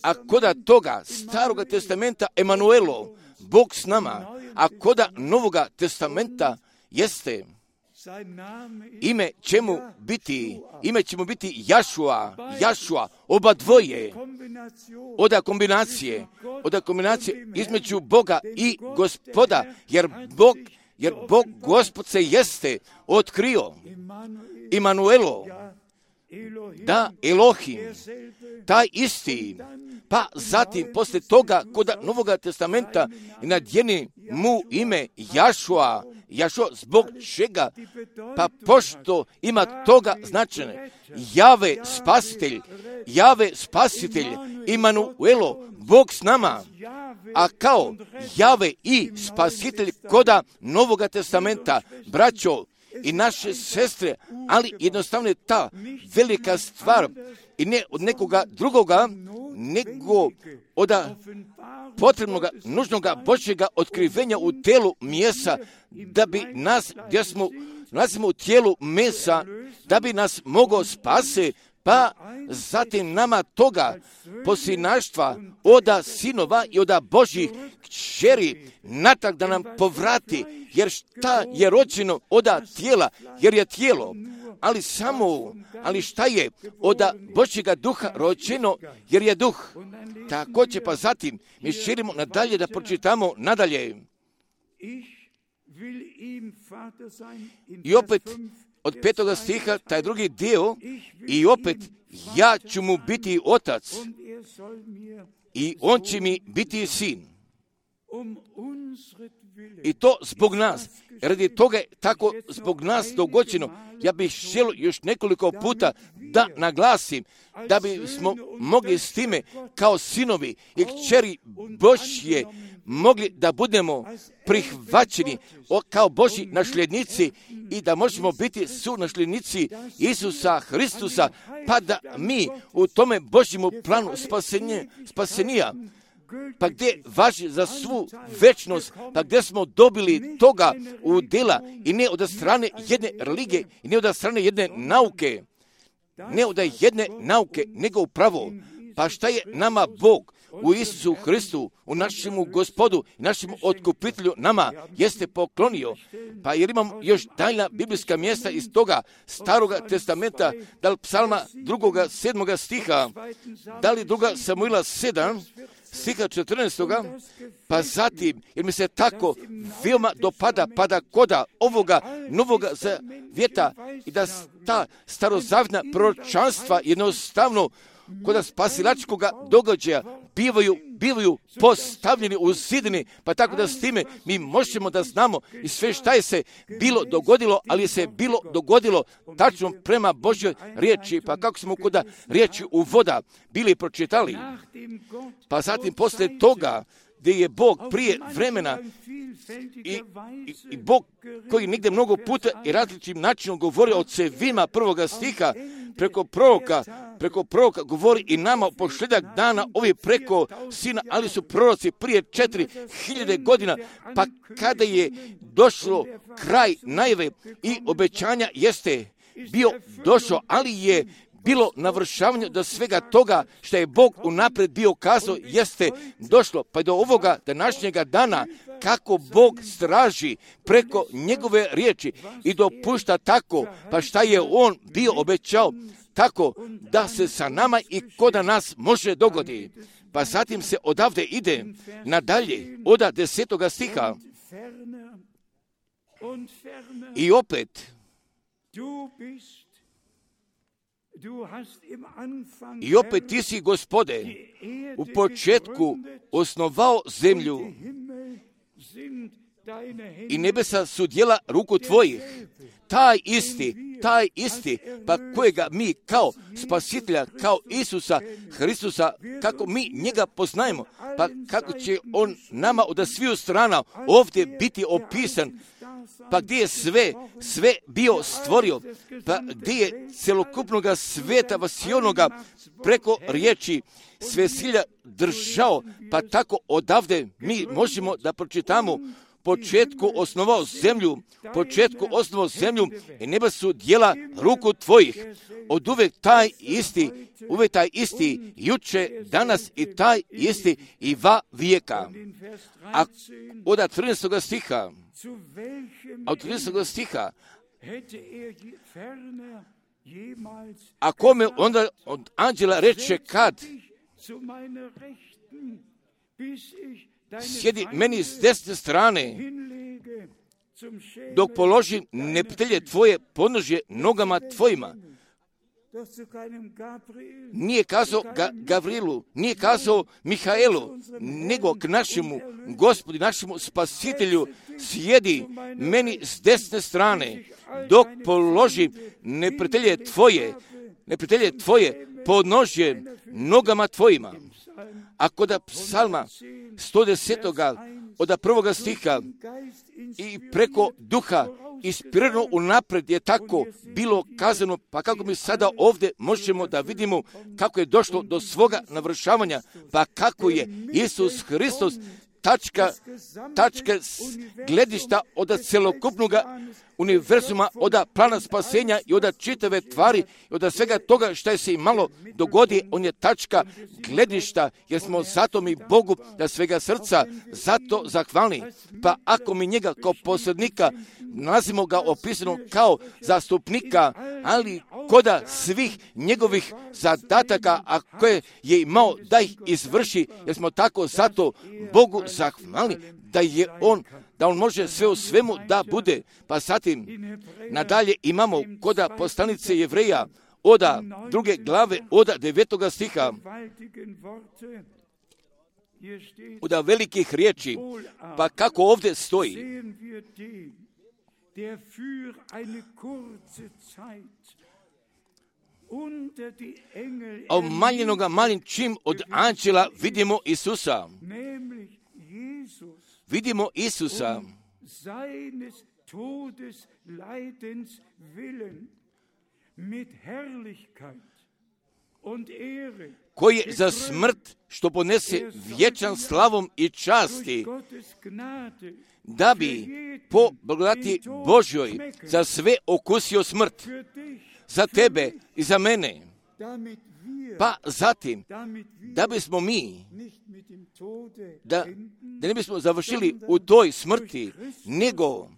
A: A koda toga staroga testamenta Emanuelo, Bog s nama, a koda novoga testamenta jeste ime će mu biti, ime će mu biti Jašua, Jašua, oba dvoje, oda kombinacije, oda kombinacije između Boga i Gospoda, jer Bog, jer Bog Gospod se jeste otkrio, Emanuelo, da Elohim, taj isti, pa zatim poslije toga koda Novoga testamenta nadjeni mu ime Jašua, Jašua zbog čega? Pa pošto ima toga značenje, Jave spasitelj, Jave spasitelj, Emanuelo, Bog s nama, a kao Jave i spasitelj koda Novoga testamenta, braćo i naše sestre, ali jednostavno je ta velika stvar i ne od nekoga drugoga, nego od potrebnoga, nužnoga Božjega otkrivenja u telu mjesa, da bi nas, gdje smo, nalazimo u tijelu mesa, da bi nas mogao spase, pa zatim nama toga posinaštva oda sinova i oda Božjih kćeri natrag da nam povrati, jer šta je rođeno oda tijela, jer je tijelo, ali samo, ali šta je oda Božjega duha rođeno, jer je duh. Također pa zatim mi širimo nadalje da pročitamo nadalje. I opet od petoga stiha, taj drugi dio, i opet ja ću mu biti otac i on će mi biti sin. I to zbog nas. Radi toga je tako zbog nas dogođeno. Ja bih želio još nekoliko puta da naglasim, da bismo mogli s time kao sinovi i kćeri Božje mogli da budemo prihvaćeni kao Božji nasljednici i da možemo biti sunasljednici Isusa Hristusa, pa da mi u tome Božjemu planu spasenja, spasenija, pa gdje važi za svu večnost, pa gdje smo dobili toga u dela i ne od strane jedne religije i ne od strane jedne nauke, ne od jedne nauke, nego upravo, pa šta je nama Bog u Isusu Hristu, u našemu Gospodu i našemu otkupitelju nama jeste poklonio. Pa jer imamo još daljna biblijska mjesta iz toga staroga testamenta, da li psalma drugoga, sedmoga stiha, da li druga Samuila sedam, stiha četrnaestoga, pa zatim, jer mi se tako veoma dopada, pa da koda ovoga novoga vjeta i da ta starozavjetna proročanstva jednostavno kod spasilačkog događaja bivaju, bivaju postavljeni u zidini, pa tako da s time mi možemo da znamo i sve šta je se bilo dogodilo, ali je se bilo dogodilo tačno prema Božjoj riječi, pa kako smo kod riječi u voda bili pročitali, pa zatim poslije toga gdje je Bog prije vremena i, i, i Bog koji nigdje mnogo puta i različitim načinom govori o cevima prvoga stiha preko proroka, preko proroka govori i nama posljedak dana ovi preko sina, ali su proroci prije četiri hiljade godina, pa kada je došlo kraj najave i obećanja jeste bio došao, ali je bilo navršavanje do svega toga što je Bog unaprijed bio kazao jeste došlo, pa do ovoga današnjega dana kako Bog straži preko njegove riječi i dopušta tako, pa šta je on bio obećao, tako da se sa nama i kod nas može dogodi. Pa zatim se odavde ide nadalje, oda desetoga stiha. I opet, i opet ti si, Gospode, u početku osnovao zemlju i nebesa su djela ruku tvojih. Taj isti, taj isti, pa kojega mi kao spasitelja, kao Isusa Hristusa, kako mi njega poznajemo, pa kako će on nama od sviju strana ovdje biti opisan, pa gdje je sve, sve bio stvorio, pa gdje je celokupnoga sveta vasionoga preko riječi svesilja držao, pa tako odavde mi možemo da pročitamo početku osnovao zemlju, početku osnovao zemlju i neba su djela ruku tvojih. Od uvek taj isti, uvek taj isti, juče, danas i taj isti i va vijeka. A od trinaestog stiha, a od trinaestog stiha, a kome onda od anđela reče kad sjedi meni s desne strane, dok položim neprijatelje tvoje podnožje nogama tvojima. Nije kazao Ga, Gavrilu, nije kazao Mihaelu, nego k našemu Gospodu, našemu Spasitelju, sjedi meni s desne strane, dok položim neprijatelje tvoje, neprijatelje tvoje podnožje nogama tvojima. A kod psalma sto desetoga od prvoga stiha i preko duha inspirirano unaprijed je tako bilo kazano, pa kako mi sada ovdje možemo da vidimo kako je došlo do svoga navršavanja, pa kako je Isus Hristos tačka, tačka gledišta od celokupnog univerzuma, od plana spasenja i od čitave tvari i od svega toga što je se i malo dogodi, on je tačka gledišta, jer smo zato mi Bogu da svega srca zato zahvalni. Pa ako mi njega kao posrednika nalazimo ga opisano kao zastupnika, ali koda svih njegovih zadataka, a koje je imao da ih izvrši, jer smo tako zato Bogu zahvalni da je on, da on može sve u svemu da bude. Pa zatim nadalje imamo koda poslanice Jevreja oda druge glave oda devetoga stiha, oda velikih riječi, pa kako ovdje stoji. A umaljenoga malim čim od anđela vidimo Isusa. Vidimo Isusa koji je za smrt što ponese vječan slavom i časti, da bi po blagodati Božjoj za sve okusio smrt, za tebe i za mene. Pa zatim, da bismo mi, da, da ne bismo završili u toj smrti, nego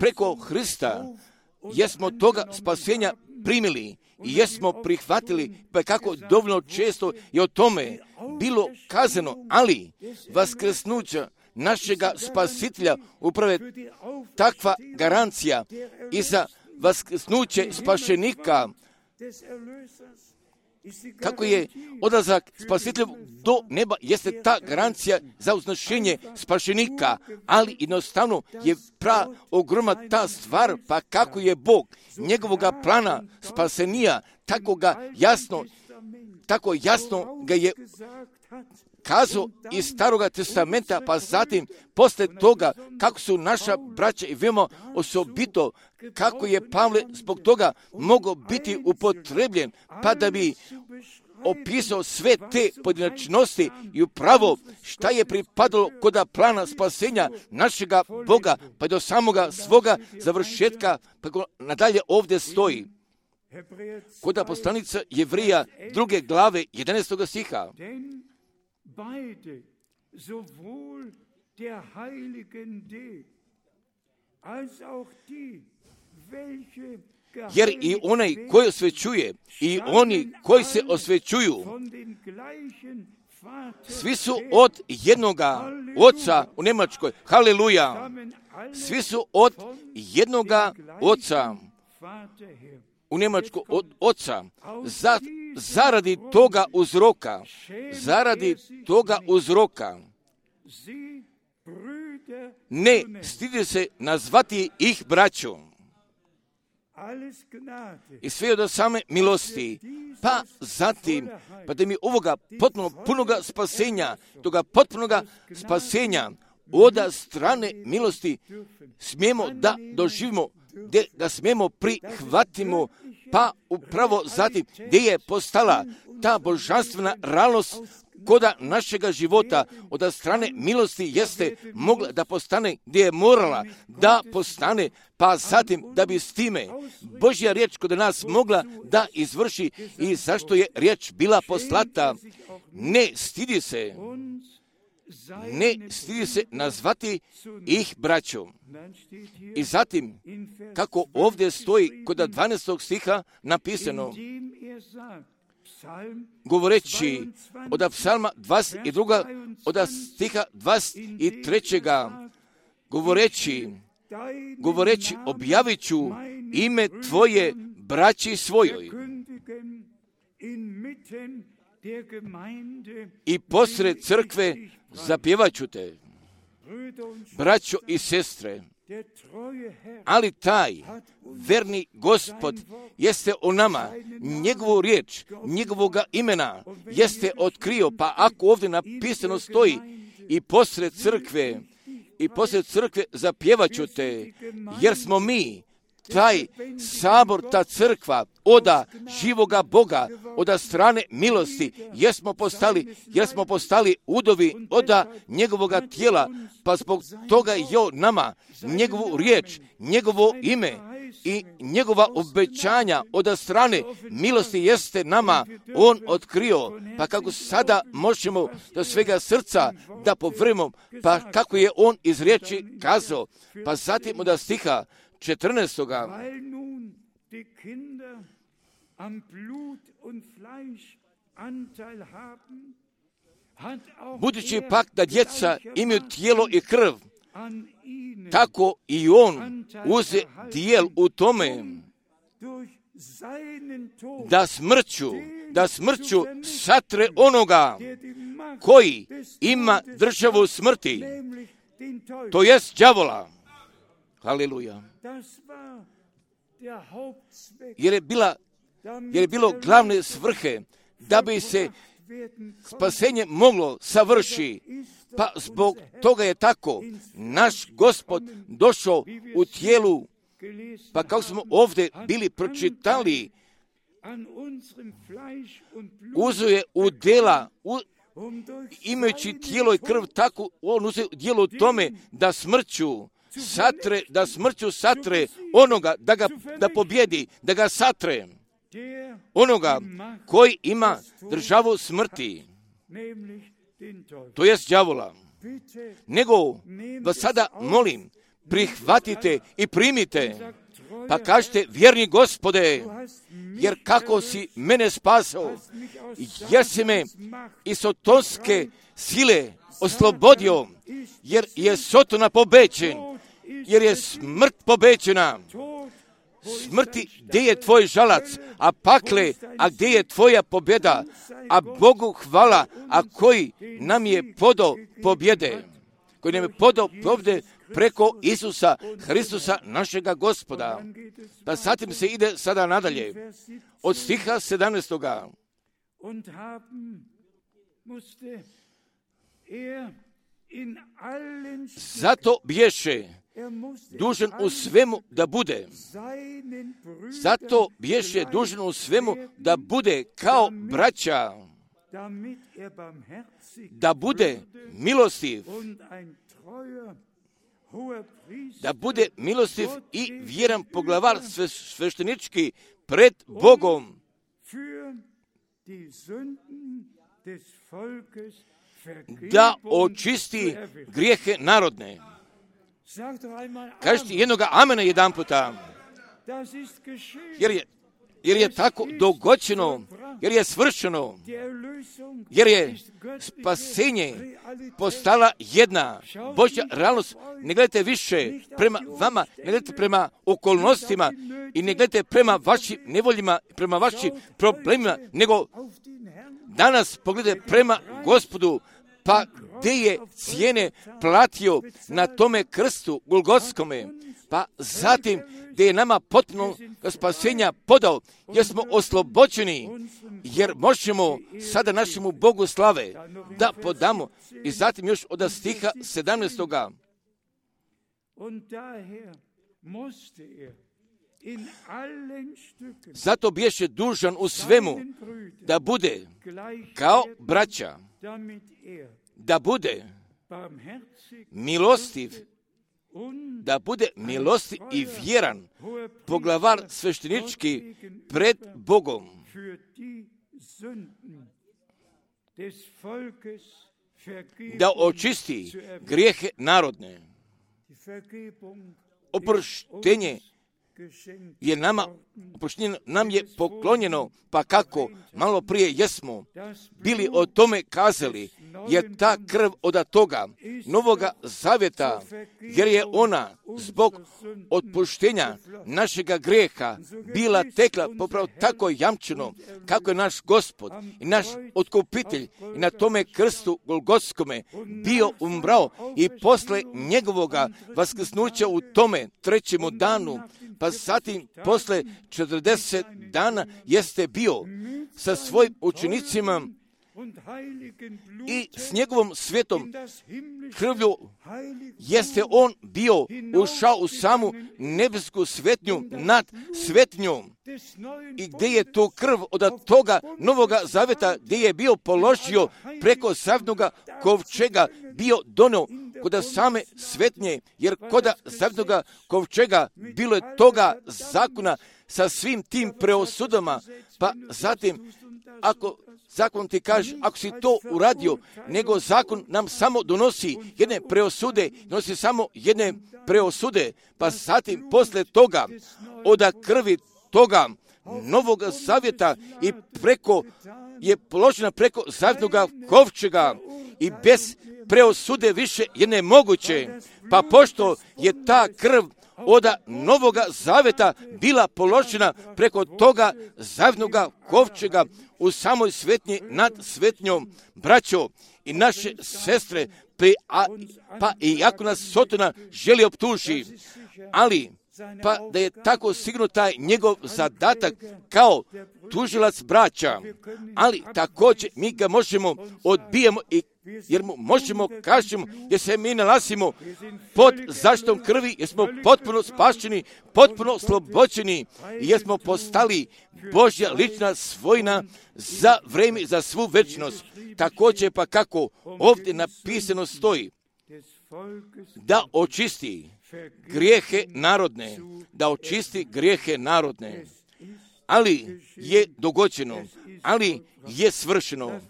A: preko Hrista, jesmo toga spasenja primili i jesmo prihvatili, pa kako dovoljno često je o tome bilo kazano, ali vaskrsnuća našega spasitelja upravo takva garancija i za vaskrsnuće spašenika, kako je odlazak spasitelja do neba, jeste ta garancija za uznašenje spašenika, ali jednostavno je pra ogromna ta stvar, pa kako je Bog njegovoga plana spasenija, tako ga jasno, tako jasno ga je kazao iz Staroga testamenta, pa zatim posle toga kako su naša braća i veoma osobito, kako je Pavle zbog toga mogao biti upotrebljen, pa da bi opisao sve te pojedinačnosti i upravo šta je pripadalo kod plana spasenja našega Boga, pa do samoga svoga završetka, pa nadalje ovdje stoji. Kod poslanica Jevrija druge glave jedanaestog stiha.
B: Beide, sowohl der heiligen D, als auch die, welche
A: jer i onaj koji osvećuje i oni koji se osvećuju, svi su od jednoga oca u Njemačkoj. Haleluja! Svi su od jednoga oca u Njemačkoj, od oca. Za, zaradi toga uzroka, zaradi toga uzroka, ne stidi se nazvati ih braćom. I sve od same milosti, pa zatim, pa da mi ovoga potpuno punoga spasenja, toga potpunoga spasenja od strane milosti smijemo da doživimo, da smijemo prihvatimo, pa upravo zatim gdje je postala ta božanstvena realnost koda našega života od strane milosti jeste mogla da postane gdje je morala da postane, pa zatim da bi s time Božja riječ kod nas mogla da izvrši i zašto je riječ bila poslata. Ne stidi se, ne stidi se nazvati ih braćom. I zatim, kako ovdje stoji kod dvanaestog stiha napisano, govoreći od psalma dvadeset dva, od stiha dvadeset tri, govoreći, govoreći objavit ću ime tvoje braći svojoj i posred crkve zapjevat ću te, braćo i sestre. Ali taj verni Gospod jeste o nama, njegovu riječ, njegovoga imena jeste otkrio, pa ako ovdje napisano stoji i posred crkve, i posred crkve zapjevat ću te, jer smo mi, taj sabor, ta crkva, oda živoga Boga, oda strane milosti, jer smo postali, jer smo postali udovi oda njegovoga tijela, pa zbog toga je on nama, njegovu riječ, njegovo ime i njegova obećanja od strane milosti jeste nama on otkrio, pa kako sada možemo do svega srca da povrimo, pa kako je on iz riječi kazao, pa zatim od stiha četrnaestoga. Budući pak da djeca imaju tijelo i krv, tako i on uze dijel u tome da smrću, da smrću satre onoga koji ima državu smrti, to jest đavola. Haleluja. Jer je bila, jer je bilo glavne svrhe da bi se spasenje moglo savrši. Pa zbog toga je tako naš Gospod došao u tijelu, pa kako smo ovdje bili pročitali, uzeo je udjela, u, imajući tijelo i krv, tako on uzeo djelo u tome da smrću satre, da smrću satre onoga, da ga da pobjedi, da ga satre, onoga koji ima državu smrti, to jest đavola. Nego vas sada molim, prihvatite i primite, pa kažete, vjerni Gospode, jer kako si mene spasao, jer si me iz sotonske sile oslobodio, jer je Sotona pobeđen, jer je smrt pobeđena, smrti, gdje je tvoj žalac, a pakle, a gdje je tvoja pobjeda, a Bogu hvala, a koji nam je podao pobjede, koji nam je podao pobjede preko Isusa Hristusa, našega Gospoda. Pa zatim se ide sada nadalje, od stiha sedamnaestoga. Zato bješe dužan u svemu da bude. Zato bješe dužan u svemu da bude kao braća, da bude milostiv, da bude milostiv i vjeran poglavar sveštenički pred Bogom, da očisti grijehe narodne. Kažite jednoga amena jedan puta, jer je, jer je tako dogođeno, jer je svršeno, jer je spasenje postala jedna Božja realnost. Ne gledajte više prema vama, ne gledajte prema okolnostima i ne gledajte prema vašim nevoljima, prema vašim problemima, nego danas pogledajte prema Gospodu, pa gdje je cijene platio na tome krstu Golgotskome, pa zatim gdje je nama potpuno spasenja podao, jer smo oslobođeni, jer možemo sada našemu Bogu slave da podamo. I zatim još od stiha sedamnaestoga. Zato bješe dužan u svemu da bude kao braća, da bude milostiv, da bude milostiv i vjeran poglavar sveštenički pred Bogom, da očisti grijehe narodne. Oproštenje je nama, oproštenje nam je poklonjeno, pa kako malo prije jesmo bili o tome kazali, je ta krv od toga novoga zavjeta, jer je ona zbog otpuštenja našega grijeha bila tekla popravo tako jamčeno, kako je naš Gospod i naš otkupitelj i na tome krstu Golgotskome bio umrao i posle njegovoga vaskrsnuća u tome trećemu danu, pa zatim posle četrdeset dana jeste bio sa svojim učenicima i s njegovom svetom krvlju jeste on bio ušao u samu nebesku svetnju nad svetnjom, i gdje je tu krv od toga novoga zavjeta, gdje je bio položio preko zavjetnoga kovčega, bio donio kod same svetnje, jer kod zavjetnoga kovčega bilo je toga zakona sa svim tim preosudama. Pa zatim, ako zakon ti kaže, ako si to uradio, nego zakon nam samo donosi jedne preosude, donosi samo jedne preosude, pa zatim posle toga, od krvi toga novog zavjeta i preko, je položena preko zavjetnoga kovčega i bez preosude više je nemoguće, pa pošto je ta krv od novoga zavjeta bila položena preko toga zavjetnoga kovčega u samoj svetnji nad svetnjom, braćo i naše sestre, pa, a, pa i ako nas Sotona želi optuži, ali pa da je tako sigurno taj njegov zadatak kao tužilac braća, ali također mi ga možemo odbijemo i jer mu možemo kažemo, jer se mi nalazimo pod zaštitom krvi, jer smo potpuno spašeni, potpuno slobođeni i jer smo postali Božja lična svojina za vrijeme, za svu večnost. Također pa kako ovdje napisano stoji, da očisti grijehe narodne, da očisti grijehe narodne, ali je dogođeno, ali je svršeno.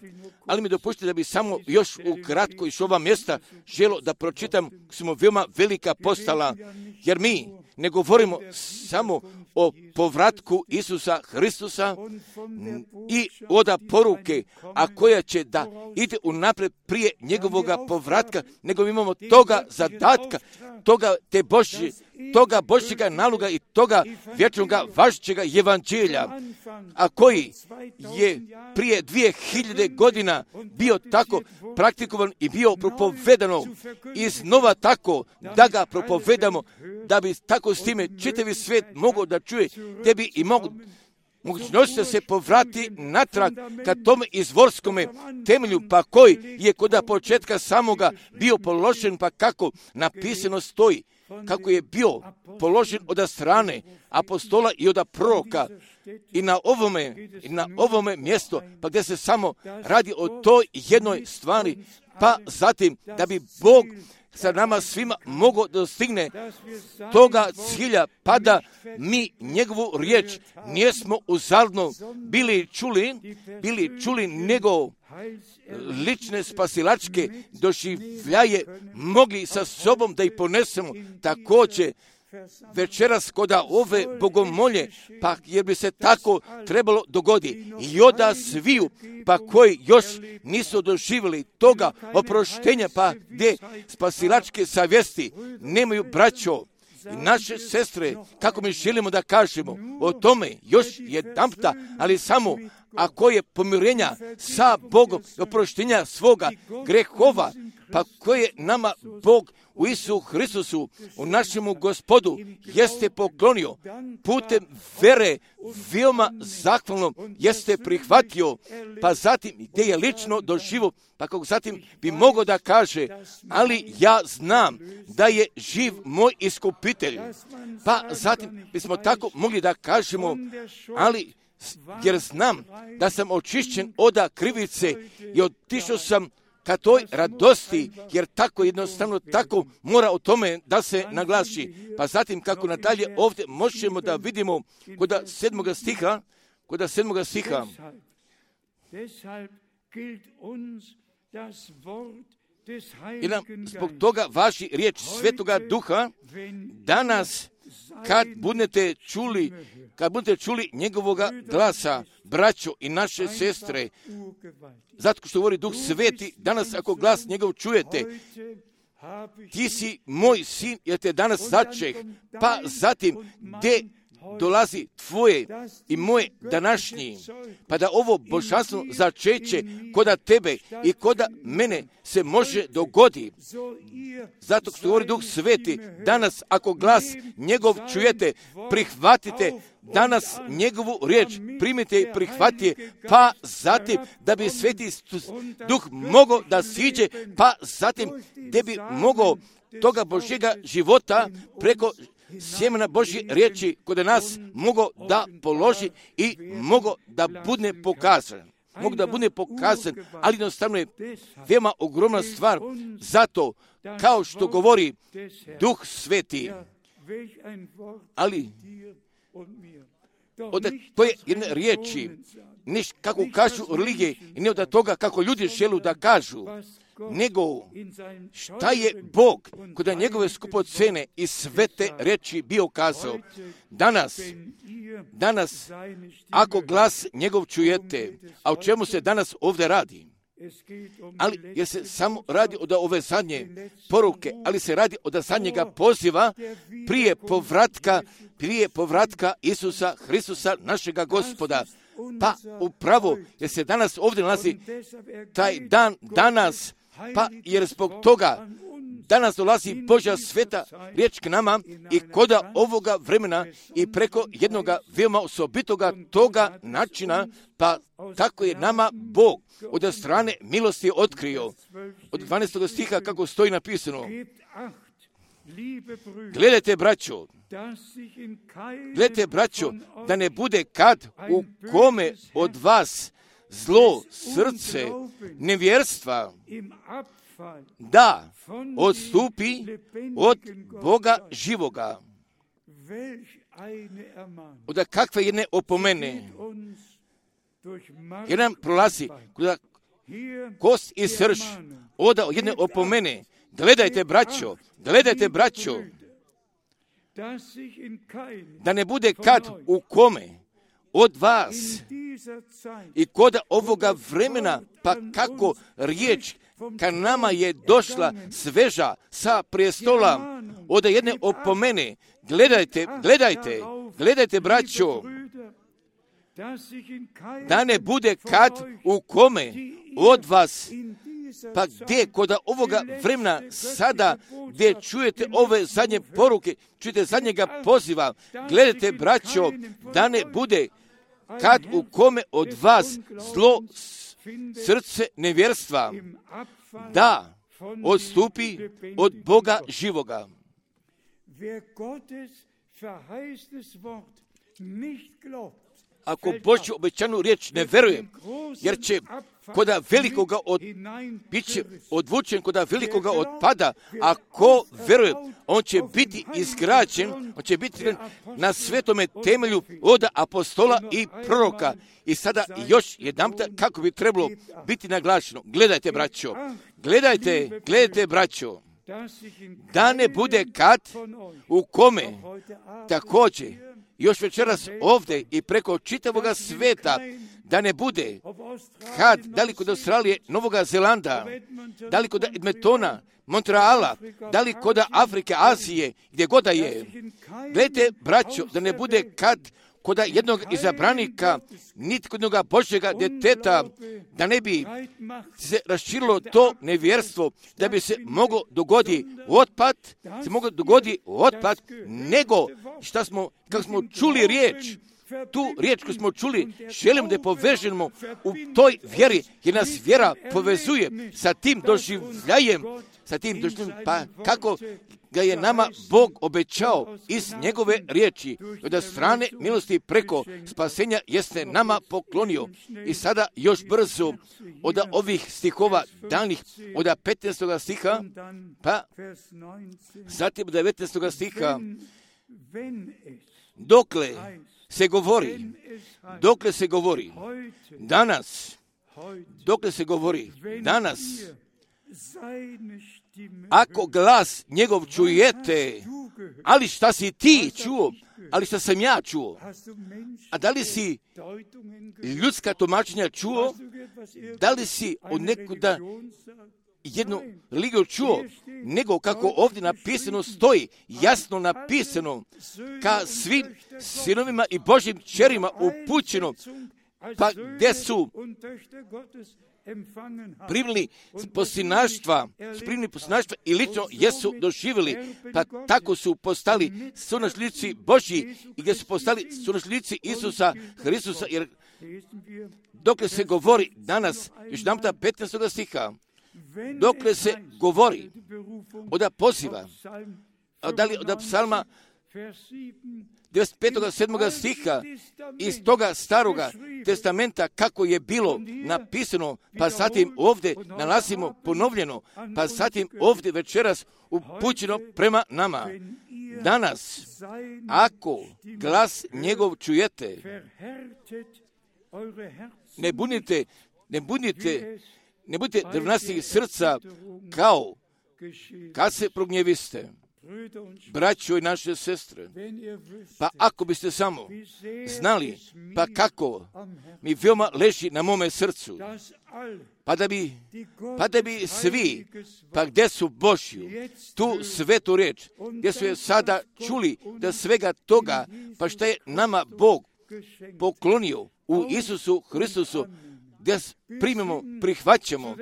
A: Ali mi dopustite da bi samo još ukratko iz ova mjesta želo da pročitam, smo veoma velika postala, jer mi ne govorimo samo o povratku Isusa Hristusa i oda poruke, a koja će da ide unaprijed prije njegovoga povratka, nego imamo toga zadatka, toga te Božje, toga Božjega naloga i toga vječnoga važećega evanđelja, a koji je prije dvije hiljade godina bio tako praktikovan i bio propovedano iznova tako da ga propovedamo, da bi tako s time čitavi svijet mogao da čuje, te bi i mogu mogućnost da se povrati natrag ka tome izvorskome temelju, pa koji je kod početka samoga bio položen, pa kako napisano stoji, kako je bio položen od strane apostola i od proroka i na ovome, i na ovome mjestu, pa gdje se samo radi o toj jednoj stvari, pa zatim da bi Bog sa nama svima mogao dostigne toga cilja, pa da mi njegovu riječ nijesmo uzaludno bili čuli, bili čuli nego lične spasilačke doživljaje mogli sa sobom da ih ponesemo također večeras koda ove bogomolje, pa jer bi se tako trebalo dogoditi i oda sviju, pa koji još nisu doživjeli toga oproštenja, pa gdje spasilačke savjesti nemaju braćo i naše sestre, kako mi želimo da kažemo o tome još jedanputa, ali samo ako je pomirenja sa Bogom, oproštenja svoga grehova, pa koje nama Bog u Isusu Hristusu, u našemu Gospodu, jeste poklonio putem vere, veoma zahvalno jeste prihvatio, pa zatim gdje je lično doživio, pa kako zatim bi mogao da kaže, ali ja znam da je živ moj iskupitelj, pa zatim bismo tako mogli da kažemo, ali jer znam da sam očišćen od krivice i otišao sam ka toj radosti, jer tako jednostavno tako mora o tome da se naglasi. Pa zatim kako nadalje ovdje možemo da vidimo kod sedmoga stiha, kod sedmoga stiha. I nam zbog toga važi riječ Svetoga Duha, danas kad budete čuli, kad budete čuli njegovoga glasa, braćo i naše sestre, zato što govori Duh Sveti, danas ako glas njegov čujete, ti si moj sin, jer te danas začeh, pa zatim gdje dolazi tvoje i moje današnji, pa da ovo božanstvo začeće koda tebe i koda mene se može dogodi. Zato što govori Duh Sveti, danas ako glas njegov čujete, prihvatite danas njegovu riječ, primite i prihvatite, pa zatim da bi Sveti Duh mogao da siđe, pa zatim da bi mogao toga Božjega života preko sjemena Božje riječi kod nas mogo da položi i mogo da bude pokazan. Mogu da bude pokazan, ali jednostavno je veoma ogromna stvar. Zato, kao što govori Duh Sveti, ali od koje jedne riječi, ne kako kažu religije i ne od toga kako ljudi žele da kažu, nego šta je Bog kod njegove skupocene i svete reči bio kazao. Danas, danas, ako glas njegov čujete, a o čemu se danas ovdje radi? Ali jer se samo radi od ove zadnje poruke, ali se radi od zadnjega poziva prije povratka, prije povratka Isusa Hristusa, našega Gospoda. Pa upravo jer se danas ovdje nalazi taj dan danas, pa jer zbog toga danas dolazi Božja sveta riječ k nama i koda ovoga vremena i preko jednoga veoma osobitoga toga načina, pa tako je nama Bog od strane milosti otkrio. Od dvanaestog stiha kako stoji napisano. Gledajte, braćo, gledajte, braćo, da ne bude kad u kome od vas zlo srce nevjerstva da odstupi od Boga živoga. Od kakve jedne opomene, jer nam prolazi kost i srž, od jedne opomene. Gledajte, braćo, gledajte, braćo, da ne bude kad u kome od vas i kod ovoga vremena, pa kako riječ ka nama je došla sveža sa prijestola od jedne opomene. Gledajte, gledajte, gledajte, braćo, da ne bude kad u kome od vas, pa gdje kod ovoga vremena sada, gdje čujete ove zadnje poruke, čujete zadnjega poziva, gledajte, braćo, da ne bude kad u kome od vas zlo srce nevjerstva da odstupi od Boga živoga. Ako Božju obećanu riječ ne veruje, jer će koda velikoga od, bit će odvučen koda velikoga otpada, ako veruje, on će biti izgrađen, on će biti na svetome temelju od apostola i proroka. I sada još jedanputa kako bi trebalo biti naglašeno. Gledajte, braćo, gledajte, gledajte, braćo, da ne bude kad u kome također još večeras ovdje i preko čitavoga sveta, da ne bude kad, da li kod Australije, Novoga Zelanda, da li kod Edmontona, Montreala, da li kod Afrike, Azije, gdje god da je. Gledajte, braćo, da ne bude kad kod jednog izabranika, niti kod jednog Božjega djeteta, da ne bi se raširilo to nevjerstvo, da bi se moglo dogoditi otpad, se moglo dogoditi otpad, nego šta smo, kako smo čuli riječ, tu riječ koju smo čuli, želim da je povežemo u toj vjeri, jer nas vjera povezuje sa tim doživljajem, sa tim doživljajem, pa kako ga je nama Bog obećao iz njegove riječi, od strane milosti preko spasenja jeste nama poklonio. I sada još brzo od ovih stihova danih, od petnaestog stiha, pa zatim od devetnaestog stiha, dokle se govori, dokle se govori, danas, dokle se govori, danas, ako glas njegov čujete, ali šta si ti čuo, ali šta sam ja čuo, a da li si ljudska tumačenja čuo, da li si od nekuda jednu religiju čuo, nego kako ovdje napisano stoji, jasno napisano, ka svim sinovima i Božjim čerima upućeno, pa gdje su primili posinaštva, primili posinaštva i lično jesu doživjeli, pa tako su postali sunašljici Božji i gdje su postali sunašljici Isusa Hristusa, jer dokle se govori danas, još namta petnaestog stiha, dokle se govori od poziva, da li od psalma devedeset petog sedmog stiha iz toga staroga testamenta kako je bilo napisano, pa zatim ovdje nalazimo ponovljeno, pa zatim ovdje večeras upućeno prema nama. Danas, ako glas njegov čujete, ne bunite, ne bunite, ne budite drvnastih srca kao kad se prognjeviste. Braćo i naše sestre, pa ako biste samo znali, pa kako mi veoma leži na mome srcu, pa da bi, pa da bi svi, pa gdje su Božju, tu svetu riječ, gdje su je sada čuli da svega toga, pa šta je nama Bog poklonio u Isusu Hristusu, gdje primimo, prihvaćamo,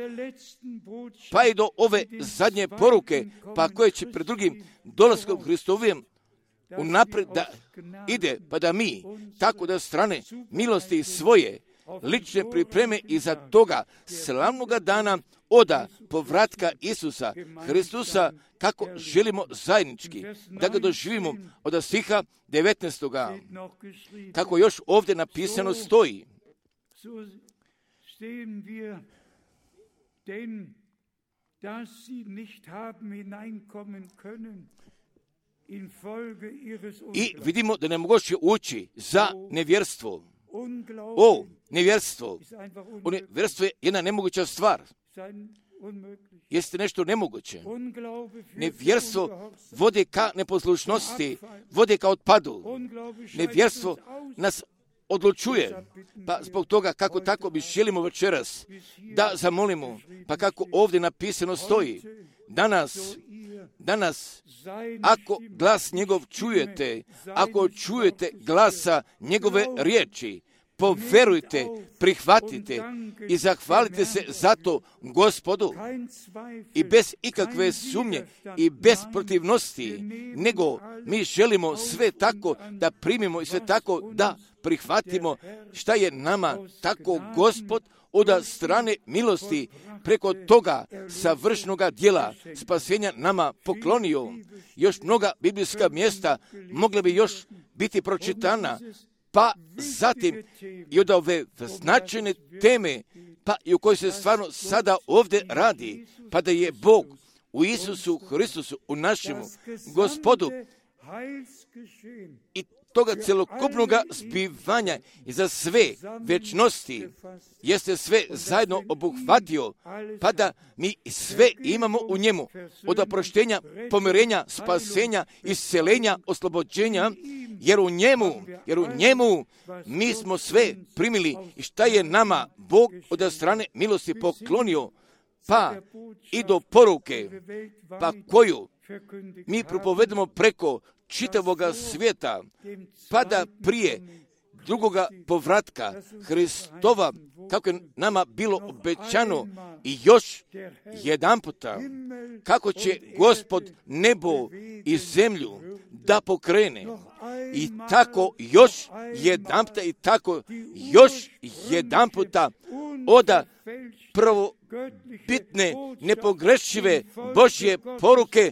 A: pa i do ove zadnje poruke, pa koje će pred drugim dolaskom Hristovim unaprijed da ide, pa da mi, tako da strane milosti svoje, lične pripreme iza toga slavnoga dana oda povratka Isusa Hristusa, kako želimo zajednički da ga doživimo od stiha devetnaestoga, kako još ovdje napisano stoji.
B: Stehen wir, denn dass sie nicht haben hineinkommen können in Folge ihres
A: I vidimo da ne moguće ući za nevjerstvo. O, nevjerstvo. O, nevjerstvo je jedna nemoguća stvar. jeste nešto nemoguće. Nevjerstvo vodi ka neposlušnosti, vodi ka otpadu. Nevjerstvo nas odlučuje, pa zbog toga kako tako mi želimo večeras da zamolimo, pa kako ovdje napisano stoji, danas, danas, ako glas njegov čujete, ako čujete glasa njegove riječi, poverujte, prihvatite i zahvalite se za to Gospodu i bez ikakve sumnje i bez protivnosti, nego mi želimo sve tako da primimo i sve tako da prihvatimo šta je nama tako Gospod od strane milosti preko toga savršnoga djela spasenja nama poklonio. Još mnoga biblijska mjesta mogle bi još biti pročitana, pa zatim i od ove značajne teme, pa i u kojoj se stvarno sada ovdje radi, pa da je Bog u Isusu Hristusu, u našemu Gospodu i toga celokupnog zbivanja i za sve večnosti jeste sve zajedno obuhvatio, pa da mi sve imamo u njemu, od oproštenja, pomirenja, spasenja, isceljenja, oslobođenja, jer u njemu, jer u njemu mi smo sve primili i šta je nama Bog od strane milosti poklonio, pa i do poruke, pa koju mi propovedamo preko čitavoga svijeta, pa da prije drugoga povratka Hristova, kako je nama bilo obećano, i još jedan puta, kako će Gospod nebo i zemlju da pokrene. I tako još jedan puta, i tako još jedan puta oda prvo bitne, nepogrešive Božje poruke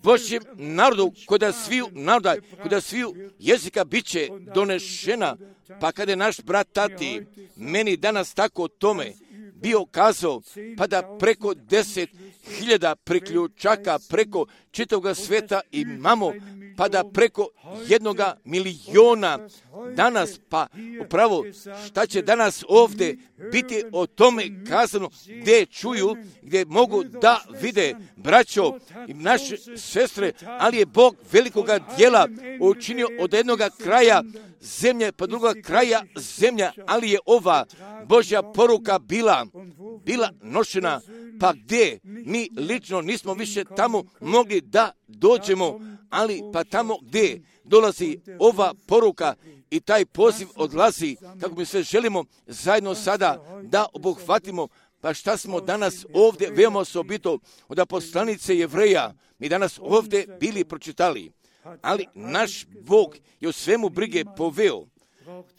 A: Božjem narodu, kod sviju naroda, kod sviju jezika bit će donešena. Pa kada je naš brat Tati meni danas tako o tome bio kazao, pa da preko deset hiljada priključaka preko čitavog svijeta imamo, pa da preko jednoga miliona danas, pa upravo šta će danas ovdje biti o tome kazano, gdje čuju, gdje mogu da vide braćo i naše sestre, ali je Bog velikoga djela učinio od jednoga kraja zemlje pa druga kraja zemlja, ali je ova Božja poruka bila, bila nošena, pa gdje mi lično nismo više tamo mogli da dođemo, ali pa tamo gdje dolazi ova poruka i taj poziv odlazi, kako mi sve želimo zajedno sada da obuhvatimo. Pa šta smo danas ovdje veoma osobito od poslanice Jevreja, mi danas ovdje bili pročitali, ali naš Bog je u svemu brige poveo,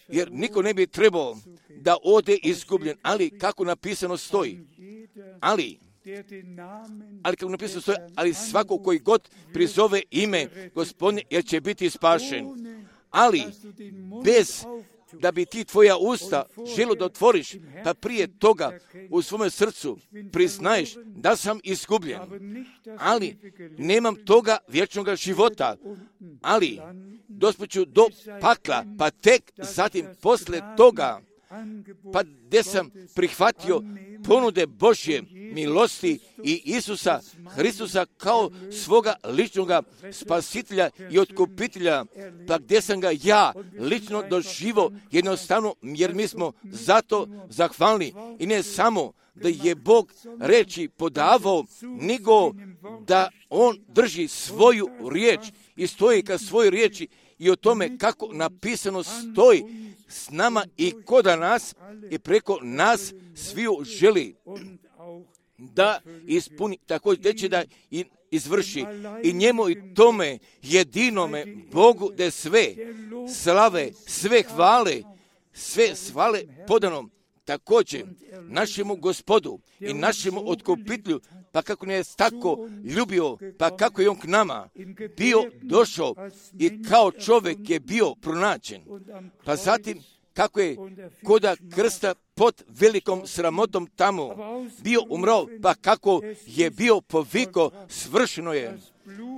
A: jer niko ne bi trebao da ode izgubljen, ali kako napisano stoji, ali ali kako napisano stoji, ali svako koji god prizove ime Gospodnje, jer će biti spašen. Ali bez da bi ti tvoja usta želo da otvoriš, pa prije toga u svome srcu priznaješ da sam izgubljen, ali nemam toga vječnog života, ali dospeću do pakla, pa tek zatim posle toga, pa gdje sam prihvatio ponude Božje milosti i Isusa Hristusa kao svoga ličnog spasitelja i otkupitelja, pa gdje sam ga ja lično doživo jednostavno, jer mi smo zato zahvalni i ne samo da je Bog reči podavao, nego da on drži svoju riječ i stoji ka svojoj riječi i o tome kako napisano stoji s nama i kod nas i preko nas sviju želi da ispuni, također će da izvrši i njemu i tome jedinome Bogu da sve slave, sve hvale, sve svale podanom također našemu Gospodu i našemu otkupitelju, pa kako ne je tako ljubio, pa kako je on k nama bio došao i kao čovjek je bio pronađen, pa zatim kako je koda krsta pod velikom sramotom tamo bio umrao, pa kako je bio poviko, svršeno je,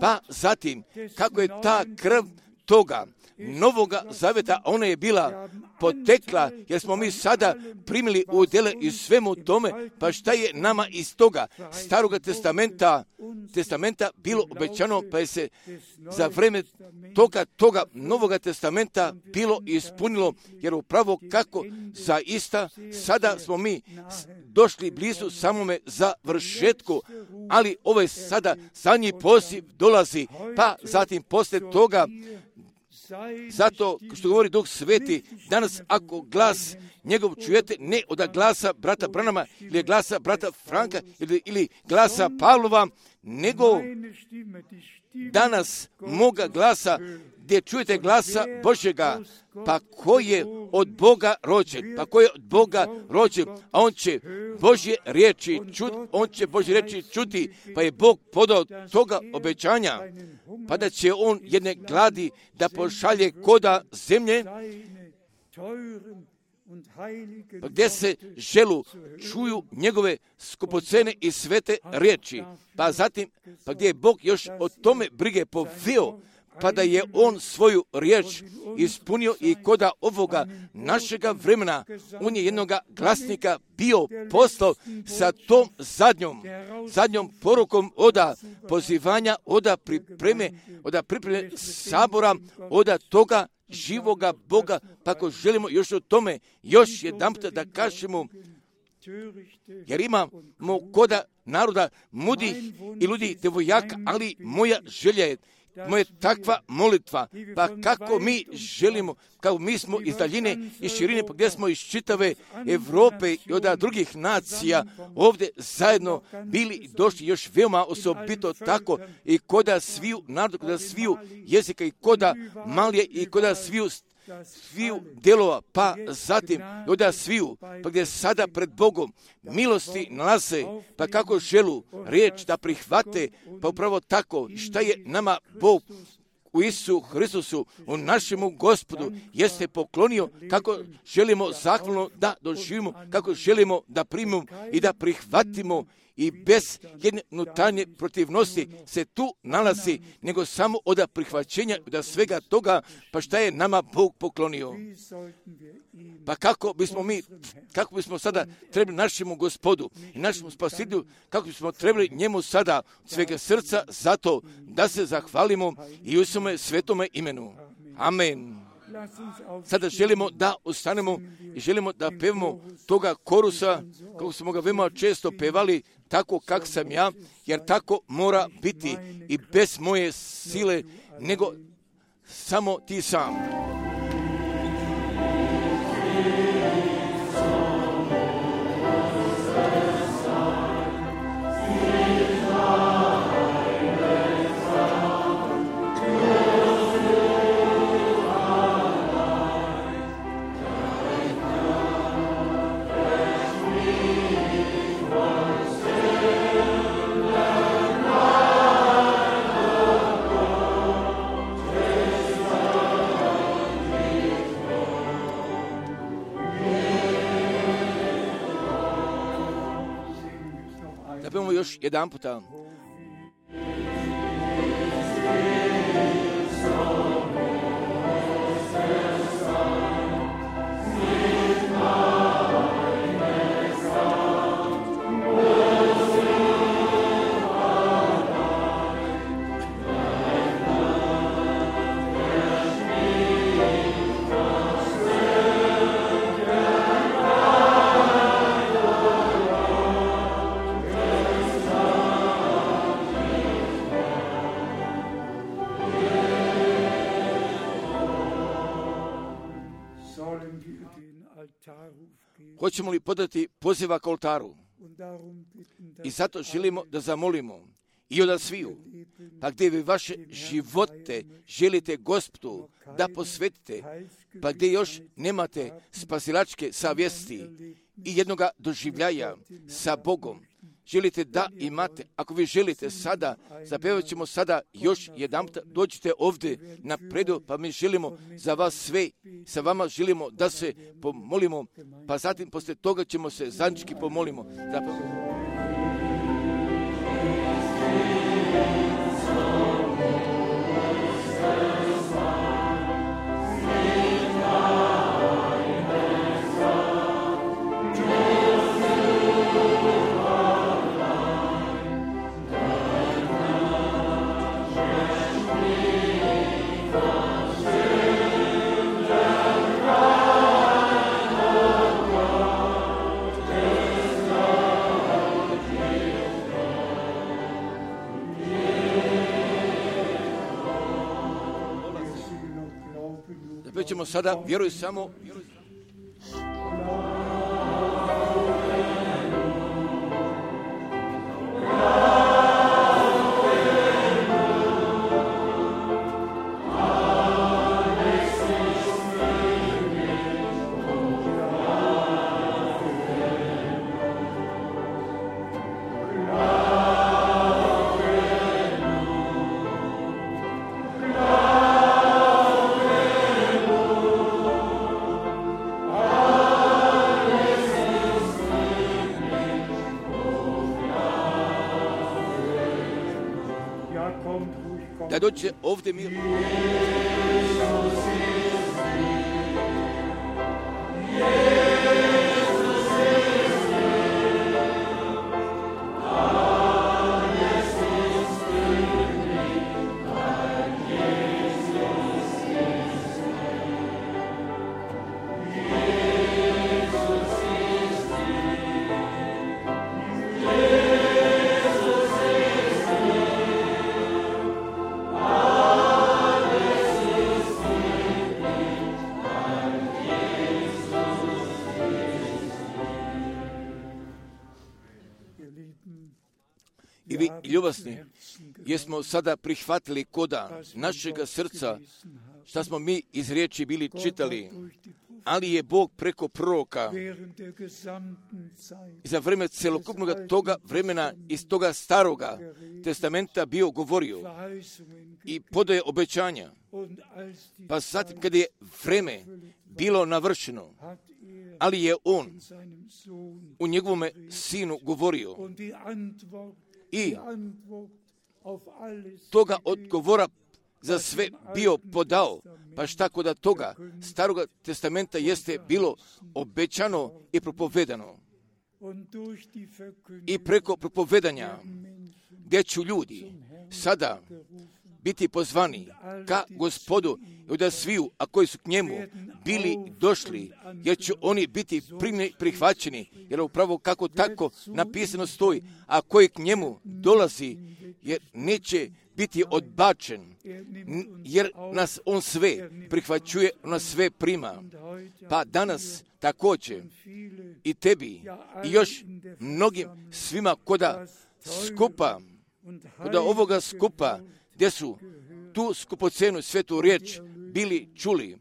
A: pa zatim kako je ta krv toga Novoga zaveta, ona je bila potekla, jer smo mi sada primili udjele i svemu tome, pa šta je nama iz toga Staroga testamenta, testamenta bilo obećano, pa je se za vreme toga, toga Novoga testamenta bilo ispunilo, jer upravo kako zaista sada smo mi došli blizu samome završetku, ali ovaj sada zadnji poziv dolazi, pa zatim poslije toga, zato što govori Duh Sveti, danas ako glas njegov čujete, ne od glasa brata Branama ili glasa brata Franka ili, ili glasa Pavlova, nego danas moga glasa gdje čujete glasa Božjega, pa ko je od Boga rođen, pa ko je od Boga rođen, a on će Božje riječi čuti, on će Božje riječi čuti, pa je Bog podao toga obećanja, pa da će on jedne gladi da pošalje koda zemlje, pa gdje se želu čuju njegove skupocene i svete riječi, pa zatim, pa gdje je Bog još o tome brige poveo, pa da je on svoju riječ ispunio i koda ovoga našega vremena, on je jednoga glasnika bio poslao sa tom zadnjom, zadnjom porukom oda pozivanja, oda pripreme, oda pripreme sabora, oda toga živoga Boga, pa ako želimo još o tome još jedan puta da kažemo, jer imamo koda naroda mudi i ljudi devojaka, ali moja želja je, moja takva molitva, pa kako mi želimo, kao mi smo iz daljine i širine, pa gdje smo iz čitave Evrope i od drugih nacija ovdje zajedno bili i došli još veoma osobito tako i koda sviju naroda, koda sviju jezika i koda malije i koda sviju sviju delova, pa zatim da sviju, pa gdje sada pred Bogom milosti nalaze, pa kako želu riječ da prihvate, pa upravo tako šta je nama Bog u Isusu Hristusu, u našemu Gospodu, jeste poklonio, kako želimo zahvalno da doživimo, kako želimo da primimo i da prihvatimo, i bez jedne unutarnje protivnosti se tu nalazi, nego samo od prihvaćenja da svega toga, pa šta je nama Bog poklonio. Pa kako bismo mi, kako bismo sada trebali našemu Gospodu i našemu Spasitelju, kako bismo trebali njemu sada od svega srca zato da se zahvalimo i u svome svetome imenu. Amen. Sada želimo da ostanemo i želimo da pevamo toga korusa, kako smo ga veoma često pevali, tako kak sam ja, jer tako mora biti i bez moje sile, nego samo ti sam. Još jedan puta. Hoćemo li podati poziva k oltaru? I zato želimo da zamolimo i od sviju, pa gdje vi vaše živote želite Gospodu da posvetite, pa gdje još nemate spasilačke savjesti i jednoga doživljaja sa Bogom, želite da imate, ako vi želite sada, zapevat ćemo sada još jedan, dođite ovdje na predu, pa mi želimo za vas sve, sa vama želimo da se pomolimo, pa zatim poslije toga ćemo se zajednički pomolimo. Zapravo.
C: Thank you.
A: Opet ćemo sada, vjeruj samo, da dođe ovdje mir. I vi, ljubasni, jesmo sada prihvatili koda našega srca, šta smo mi iz riječi bili čitali, ali je Bog preko proroka za vreme celokupnog toga vremena iz toga staroga testamenta bio govorio i podaje obećanja. Pa zatim kada je vreme bilo navršeno, ali je on u njegovome sinu govorio i toga odgovora za sve bio podao, pa šta kod da toga staroga testamenta jeste bilo obećano i propovedano. I preko propovedanja gdje ću ljudi sada biti pozvani ka Gospodu i da sviju, a koji su k njemu bili došli, jer će oni biti primljeni, prihvaćeni, jer upravo kako tako napisano stoji, a koji k njemu dolazi, jer neće biti odbačen, jer nas on sve prihvaćuje, on nas sve prima. Pa danas također i tebi i još mnogim svima koda skupa, koda ovoga skupa, gdje su tu skupocenu svetu riječ bili čuli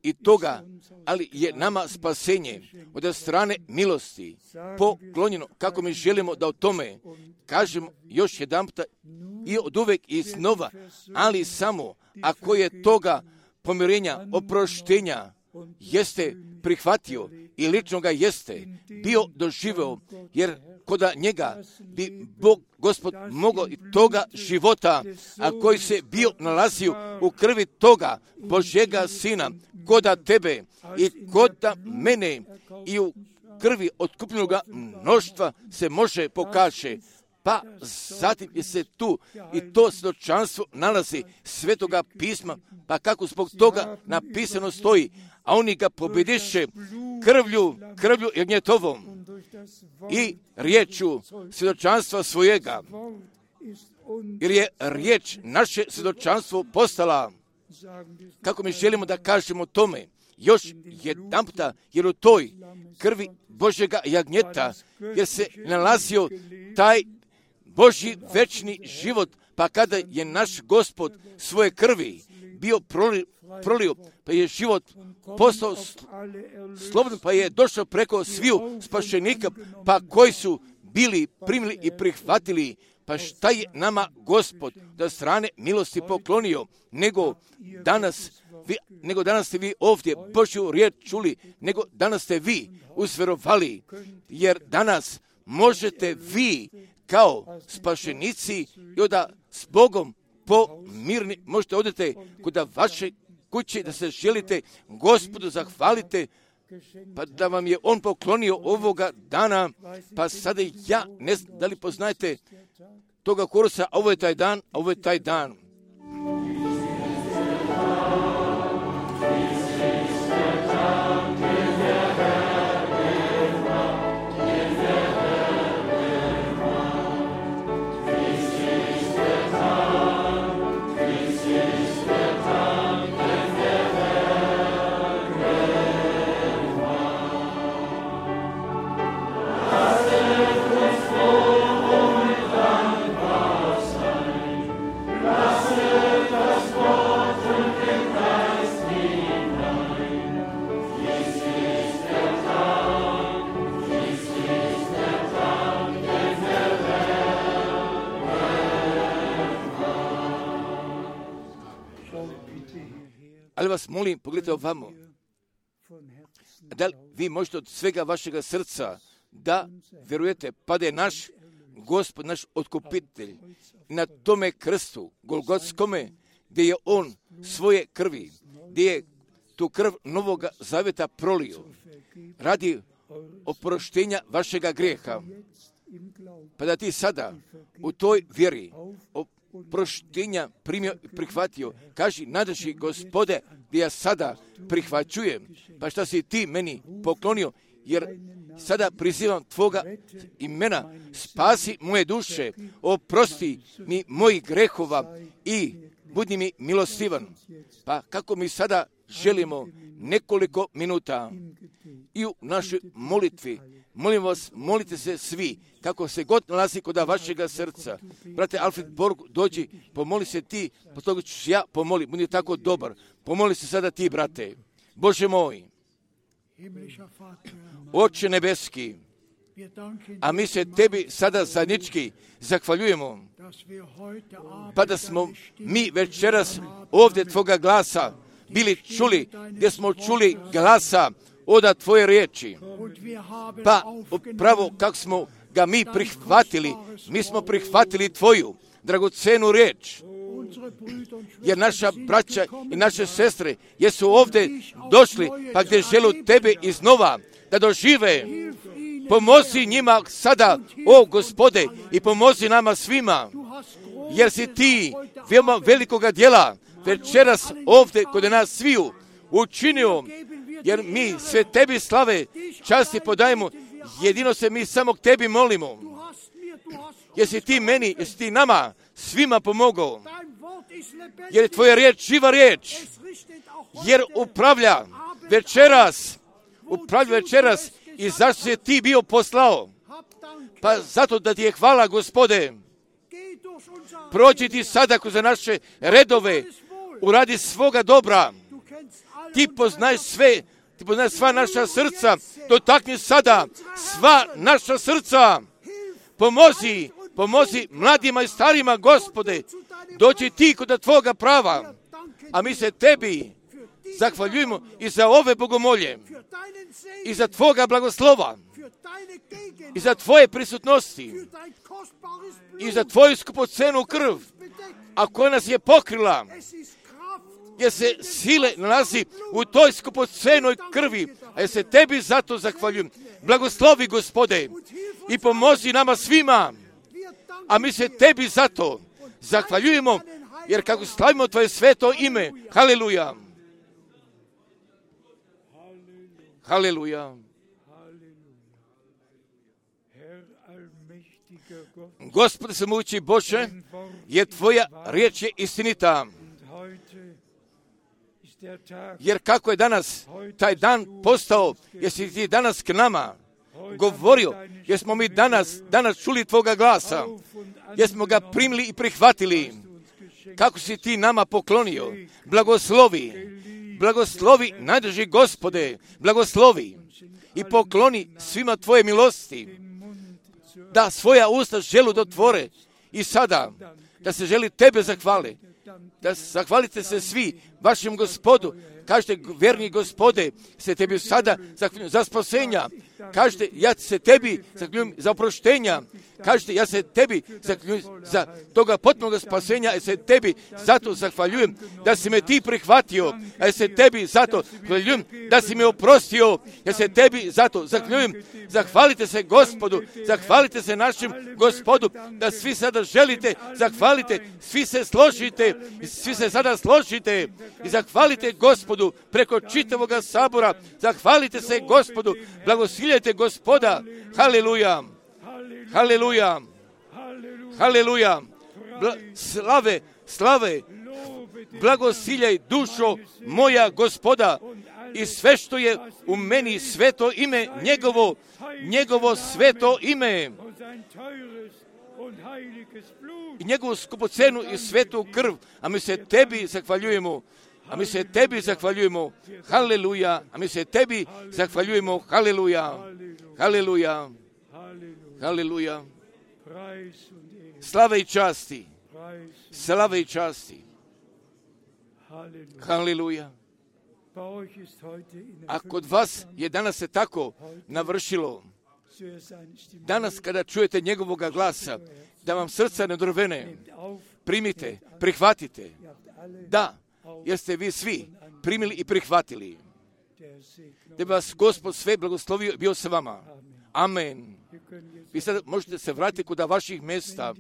A: i toga, ali je nama spasenje od strane milosti poklonjeno, kako mi želimo da o tome kažemo još jedanputa i od uvek i snova, ali samo ako je toga pomirenja, oproštenja jeste prihvatio i lično ga jeste bio doživeo, jer koda njega bi Bog, Gospod, mogao i toga života, a koji se bio nalazio u krvi toga Božjega Sina, koda tebe i koda mene i u krvi otkupljenoga mnoštva se može pokaže. Pa zatim je se tu i to svjedočanstvo nalazi Svetoga pisma, pa kako zbog toga napisano stoji, a oni ga pobjediše krvlju, krvlju jagnjetovom i riječu svjedočanstva svojega, jer je riječ naše svjedočanstvo postala, kako mi želimo da kažemo tome, još jedanputa, jer u toj krvi Božjega jagnjeta, jer se nalazio taj Božji večni život, pa kada je naš Gospod svoje krvi bio prolio, prolio pa je život postao slobodan, pa je došao preko sviju spašenika, pa koji su bili primili i prihvatili, pa šta je nama Gospod da strane milosti poklonio, nego danas, vi, nego danas ste vi ovdje Božju riječ čuli, nego danas ste vi uzverovali, jer danas možete vi kao spašenici i onda s Bogom pomirni možete odete kod vaše kuće da se želite Gospodu zahvalite, pa da vam je on poklonio ovoga dana, pa sada ja ne znam da li poznajete toga korusa, a ovo je taj dan, a ovo je taj dan. Ali vas molim, pogledajte ovamo. Da li vi možete od svega vašega srca da vjerujete, pa da je naš Gospod, naš otkupitelj na tome krstu, Golgotskome, gdje je on svoje krvi, gdje je tu krv Novoga Zaveta prolio, radi oproštenja vašega grijeha. Pa da ti sada u toj vjeri oproštenja primio i prihvatio, kaži, nadaši Gospode, gdje ja sada prihvaćujem, pa šta si ti meni poklonio, jer sada prizivam tvoga imena, spasi moje duše, oprosti mi mojih grehova i budi mi milostivan. Pa kako mi sada želimo nekoliko minuta i u našoj molitvi, molim vas, molite se svi, kako se god nalazi kod vašega srca. Brate Alfred Borg, dođi, pomoli se ti, po toga ću ja pomoli, budi tako dobar. Pomoli se sada ti, brate. Bože moj, Oče nebeski, a mi se tebi sada zajednički zahvaljujemo, pa da smo mi večeras ovdje tvoga glasa bili čuli, gdje smo čuli glasa od tvoje riječi. Pa upravo kako smo ga mi prihvatili, mi smo prihvatili tvoju dragocenu riječ. Jer naša braća i naše sestre jesu ovdje došli, pa gdje žele tebe iznova da dožive. Pomozi njima sada, o Gospode, i pomozi nama svima, jer si ti veoma velikoga djela večeras ovdje kod nas sviju učinio, jer mi sve tebi slave, časti podajemo, jedino se mi samo k tebi molimo. Jesi ti meni, jesi ti nama svima pomogao, jer je tvoja riječ živa riječ, jer upravlja večeras, upravlja večeras i zašto si ti bio poslao? Pa zato da ti je hvala, Gospode. Prođi ti sada kroz naše redove, uradi svoga dobra. Ti poznaješ sve, ti poznaješ sva naša srca, dotakni sada sva naša srca. Pomozi, pomozi mladima i starima, Gospode, dođi ti kod tvoga prava, a mi se tebi zahvaljujemo i za ove bogomolje, i za tvoga blagoslova, i za tvoje prisutnosti, i za tvoju skupocenu krv, a koja nas je pokrila, jer se sile nalazi u toj skupocenoj krvi, a ja se tebi zato zahvaljujem. Blagoslovi, Gospode, i pomozi nama svima, a mi se tebi zato zahvaljujemo, jer kako slavimo tvoje sveto ime, haleluja, haleluja. Gospode svemogući Bože, jer tvoja riječ je istinita. Jer kako je danas taj dan postao, jesi ti danas k nama govorio, jer smo mi danas, danas čuli tvoga glasa, jer smo ga primili i prihvatili, kako si ti nama poklonio. Blagoslovi, blagoslovi, najdrži Gospode, blagoslovi i pokloni svima tvoje milosti, da svoja usta želu dotvore i sada, da se želi tebe zahvali, da zahvalite se svi vašem Gospodu. Kažete, verni Gospode, se tebi sada zahvaljujem za spasenja. Kažete, ja se tebi zahvaljujem za oproštenja. Kažete, ja se tebi zahvaljujem za toga potpunog spasenja, ja se tebi zato zahvaljujem da si me ti prihvatio, a ja se tebi zato zahvaljujem da si me oprostio, ja se tebi zato zahvaljujem. Zahvalite se Gospodu, zahvalite se našem Gospodu, da svi sada želite, zahvalite, svi se složite, svi se sada složite i zahvalite Gospodu preko čitavoga sabora, zahvalite se Gospodu, blagosiljajte Gospoda, haleluja. Haleluja, haleluja, Bla, slave, slave, blagosiljaj dušo moja Gospoda i sve što je u meni, sveto ime njegovo, njegovo sveto ime i njegovu skupocenu i svetu krv, a mi se tebi zahvaljujemo, a mi se tebi zahvaljujemo, haleluja, a mi se tebi zahvaljujemo, haleluja, haleluja. Haleluja. Slave i časti. Slave i časti. Haleluja. A kod vas je danas se tako navršilo. Danas kada čujete njegovoga glasa, da vam srca ne drvene, primite, prihvatite. Da, jer ste vi svi primili i prihvatili. Da bi vas Gospod sve blagoslovio i bio sa vama. Amen. Vi sad možete se vratiti kod vaših mjesta.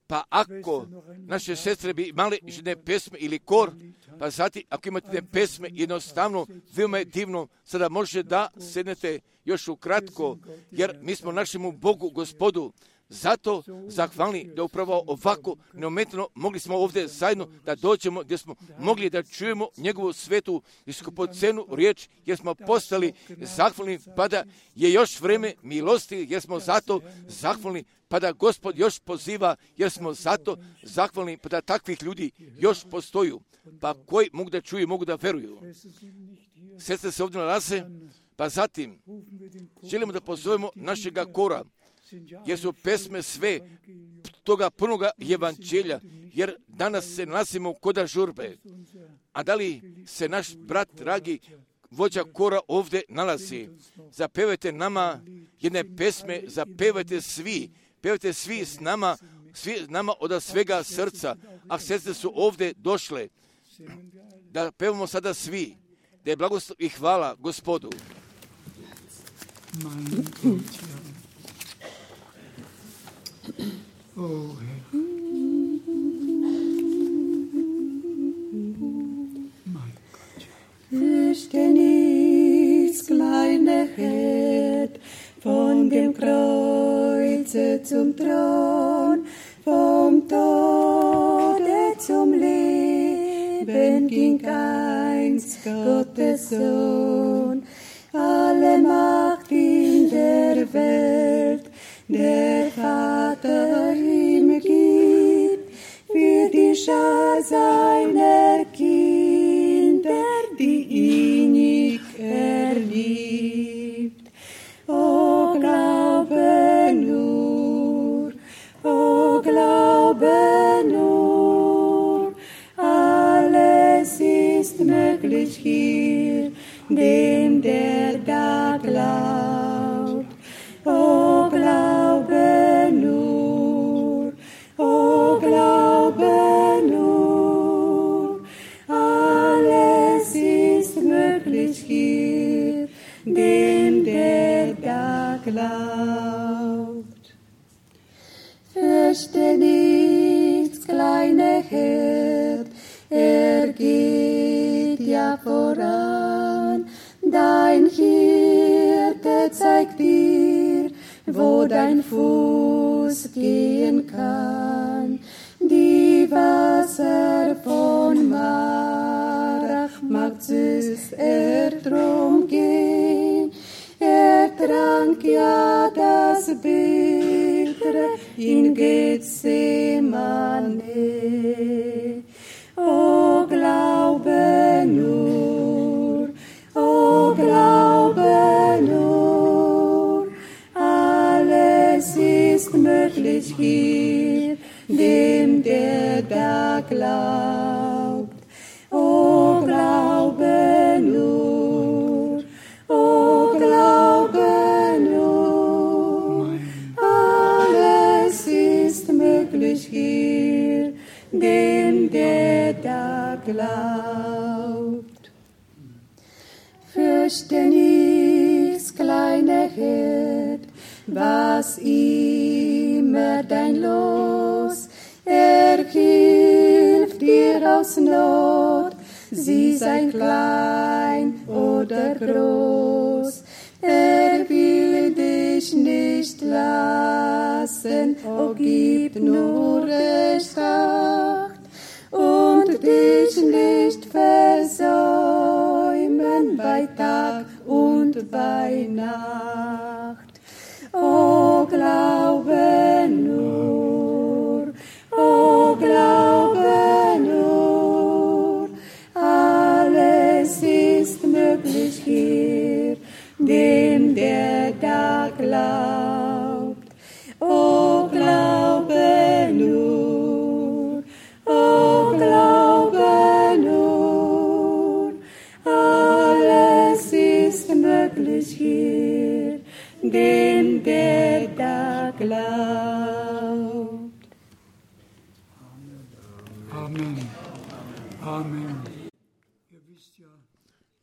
A: Pa ako naše sestre bi imale jedne pesme ili kor, pa zatim ako imate jedne pesme, jednostavno, veoma je divno, sada može da sednete još ukratko, jer mi smo našemu Bogu, Gospodu, zato zahvalni da upravo ovako neometano mogli smo ovdje zajedno da dođemo gdje smo mogli da čujemo njegovu svetu i skupocenu riječ, jer smo postali zahvalni, pa da je još vreme milosti, jer smo zato zahvalni, pa da Gospod još poziva, jer smo zato zahvalni, pa da takvih ljudi još postoju, pa koji mogu da čuju, mogu da veruju. Sestre se ovdje nalaze, pa zatim želimo da pozovemo našega kora, jer su pesme sve toga punoga evanđelja, jer danas se nalazimo kod žurbe. A da li se naš brat, dragi vođa kora ovdje nalazi? Zapevajte nama jedne pesme, zapevajte svi, pevajte svi s nama, svi s nama od svega srca. A sestre su ovdje došle, da pevamo sada svi, da je blagoslov i hvala Gospodu.
B: Oh,
C: Fürchte nichts, kleine Herd, von dem Kreuze zum Thron, vom Tode zum Leben ging einst Gottes Sohn. Alle Macht in der Welt der Vater ihm gibt, für die Schar seiner Kinder, die innig er liebt. O glaube nur, o glaube nur, alles ist möglich hier, dem der da glaubt. O glaube nur, o glaube nur, alles ist möglich hier, dem der da glaubt. Fürchte nichts, kleine Herd, er geht ja voran, dein Hirte zeigt dir, wo dein Fuß gehen kann. Die Wasser von Marach macht süß er drum gehen. Er trank ja das Bittere in Gethsemane. O glaube nur, o glaube nur, alles ist möglich hier, dem der da glaubt. O glaube nur, o glaube nur, alles ist möglich hier, dem der da glaubt. Fürchte nichts, kleine Herd, was immer dein Los, er hilft dir aus Not, sie sei klein oder groß, er will dich nicht lassen, o gib nur recht Acht und dich nicht versäumen bei Tag und bei Nacht. O glaube nur, o glaube nur, alles ist möglich hier, dem der da glaubt. O glaube nur, o glaube nur,
B: Amen. Amen.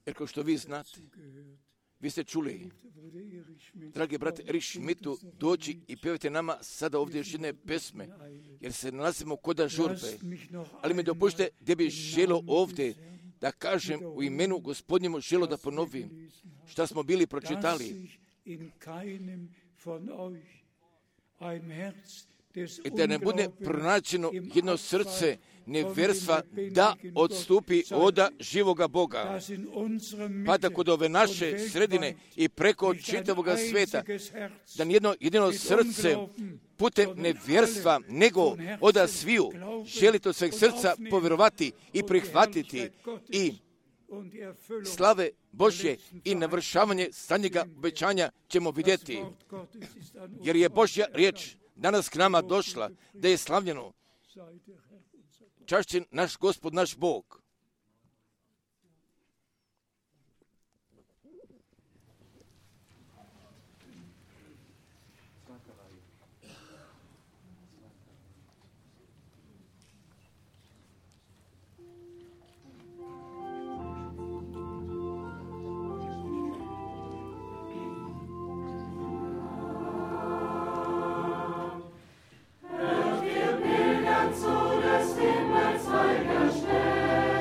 A: Jer kao što vi znate, vi ste čuli, dragi brat Erich Schmidtu, doći i pevajte nama sada ovdje još jedne pesme, jer se nalazimo kod žurbe. Ali mi dopušte gdje bi želo ovdje da kažem u imenu Gospodnjemu, želo da ponovim šta smo bili pročitali. I da ne bude pronađeno jedno srce nevjerstva da odstupi od živoga Boga, pa da kod ove naše sredine i preko čitavoga sveta, da nijedno jedino srce putem nevjerstva, nego od sviju želite od sveg srca povjerovati i prihvatiti i slave Božje i navršavanje stanjega obećanja ćemo vidjeti. Jer je Božja riječ danas k nama došla, da je slavljeno. Čašćen naš Gospod, naš Bog.
C: Zu des Himmels heiliger Stern.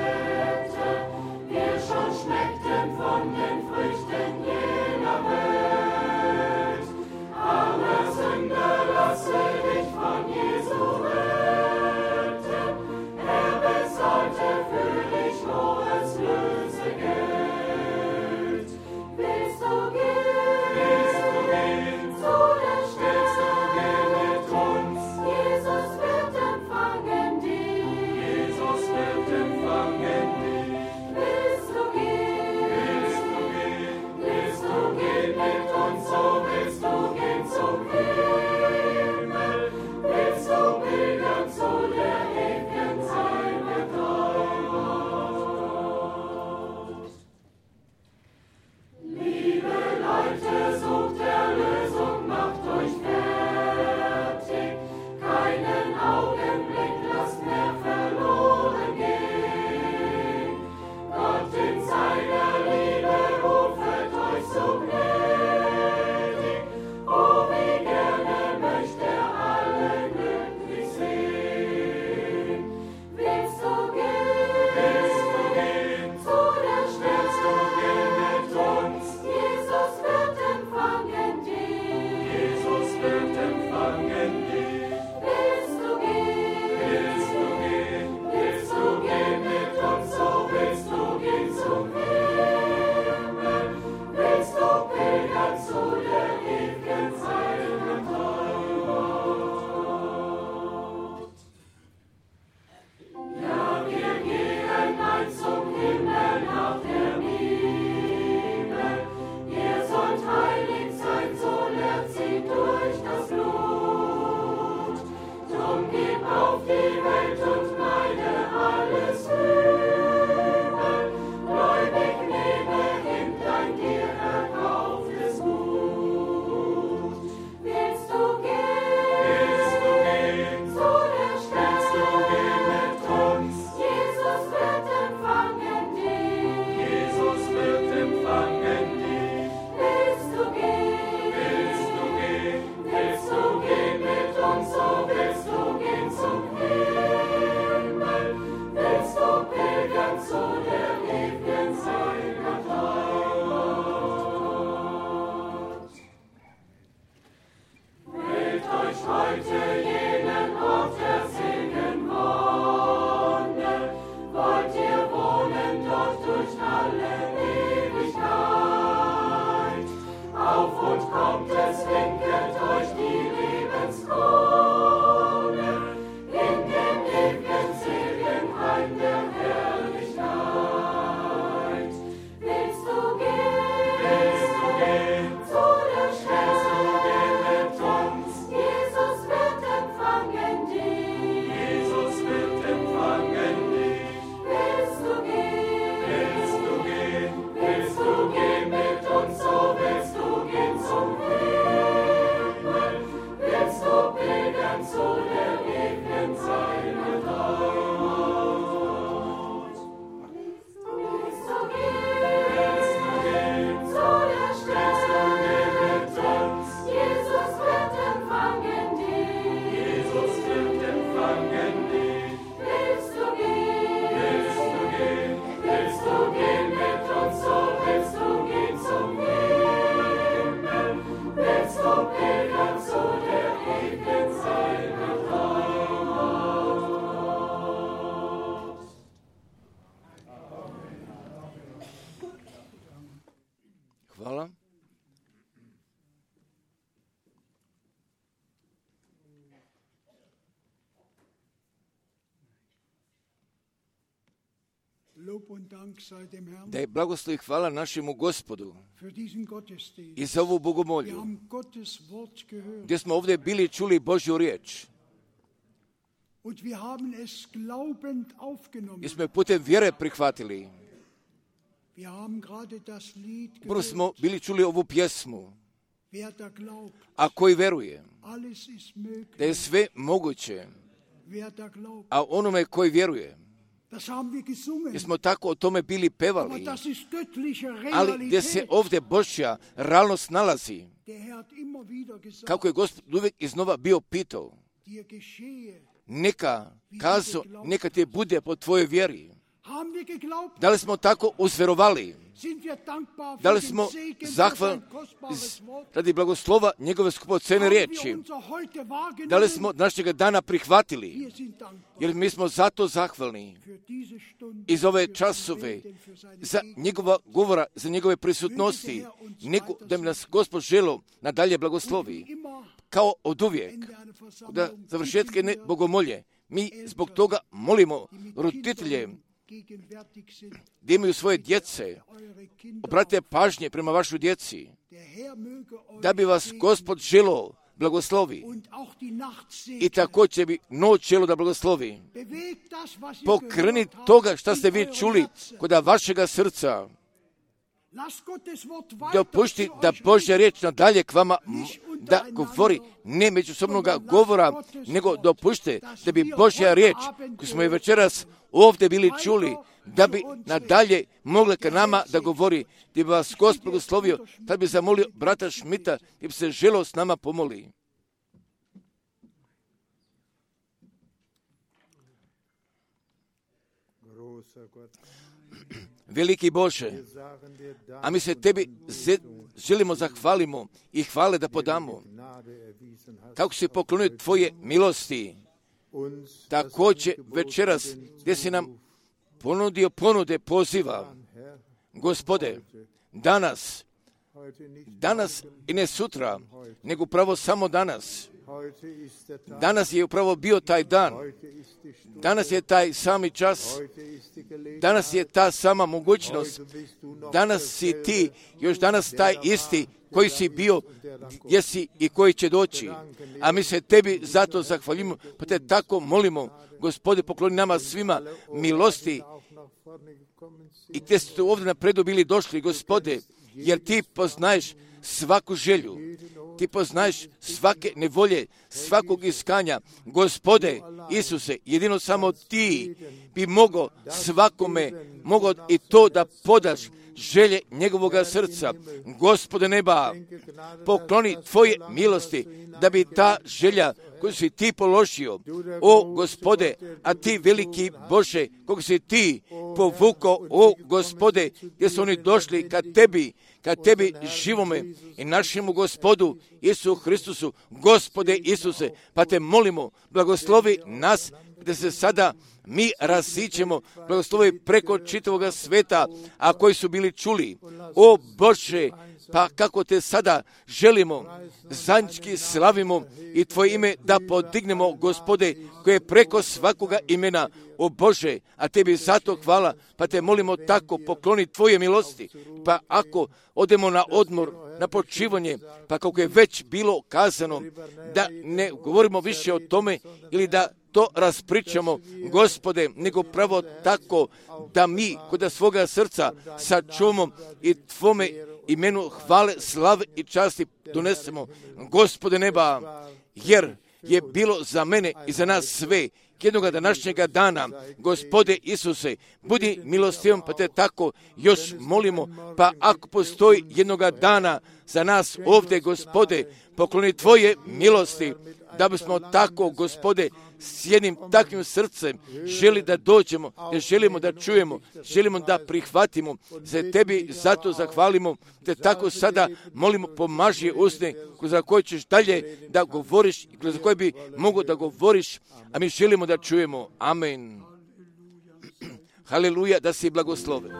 A: Hvala. Da je blagoslov i hvala našemu Gospodu i za ovu bogomolju, gdje smo ovdje bili čuli Božju riječ. I smo je putem vjere prihvatili. Prvo smo bili čuli ovu pjesmu. A koji veruje da je sve moguće, a onome koji vjeruje. Jer smo tako o tome bili pevali, ali gdje se ovdje Božja realnost nalazi, kako je Gospod uvijek iznova bio pitao, neka kazo, neka ti bude po tvojoj vjeri. Da li smo tako uzverovali? Da li smo zahvalni radi blagoslova njegove skupocene riječi? Da li smo današnjega dana prihvatili? Jer mi smo zato zahvalni iz ove časove za njegova govora, za njegove prisutnosti, nego da mi nas Gospod želo nadalje blagoslovi. Kao od uvijek, da završetke ne bogomolje, mi zbog toga molimo roditelje da imaju svoje djece, obratite pažnje prema vašoj djeci, da bi vas Gospod želo blagoslovi i također bi noć želo da blagoslovi. Pokreni toga što ste vi čuli kod vašega srca. Dopušti da Božja riječ nadalje k vama da govori, ne međusobnoga govora, nego dopušte da bi Božja riječ, koju smo je večeras ovdje bili čuli, da bi nadalje mogla ka nama da govori, da bi vas Gospod blagoslovio, da bi zamolio brata Šmita, da bi se želo s nama pomoli. Veliki Bože, a mi se tebi želimo zahvalimo i hvale da podamo, kako si poklonio tvoje milosti, također večeras gdje si nam ponudio ponude poziva. Gospode, danas, danas i ne sutra, nego upravo samo danas. Danas je upravo bio taj dan. Danas je taj sami čas. Danas je ta sama mogućnost. Danas si ti, još danas taj isti koji si bio, jesi i koji će doći. A mi se tebi zato zahvaljujemo, pa te tako molimo, Gospode, pokloni nama svima milosti. I te ste ovdje napredu bili došli, Gospode, jer ti poznaješ svaku želju. Ti poznaješ svake nevolje, svakog iskanja. Gospode Isuse, jedino samo ti bi mogao svakome, mogao i to da podaš želje njegovoga srca. Gospode neba, pokloni tvoje milosti, da bi ta želja koju si ti položio, o Gospode, a ti veliki Bože, kog si ti povukao, o Gospode, gdje su oni došli ka tebi, ka tebi živome i našemu Gospodu Isu Hristusu, Gospode Isuse, pa te molimo, blagoslovi nas, gdje se sada mi rasićemo, blagoslovi preko čitavoga sveta, a koji su bili čuli, o Bože, pa kako te sada želimo, zajednički slavimo i tvoje ime da podignemo, Gospode, koje je preko svakoga imena, o Bože, a tebi zato hvala, pa te molimo tako, pokloni tvoje milosti, pa ako odemo na odmor, na počivanje, pa kako je već bilo kazano, da ne govorimo više o tome ili da to raspričamo, Gospode, nego pravo tako da mi kod svoga srca sačuvamo i tvome imenu hvale, slave i časti donesemo, Gospode neba, jer je bilo za mene i za nas sve. Jednoga današnjega dana, Gospode Isuse, budi milostivom, pa te tako još molimo, pa ako postoji jednoga dana za nas ovdje, Gospode, pokloni Tvoje milosti, da bismo tako, Gospode, s jednim takvim srcem želi da dođemo, jer želimo da čujemo, želimo da prihvatimo, za Tebi zato zahvalimo, te tako sada molimo, pomaži usne za koje ćeš dalje da govoriš, za koje bi mogo da govoriš, a mi želimo da čujemo. Amen. Haleluja, da si blagosloven.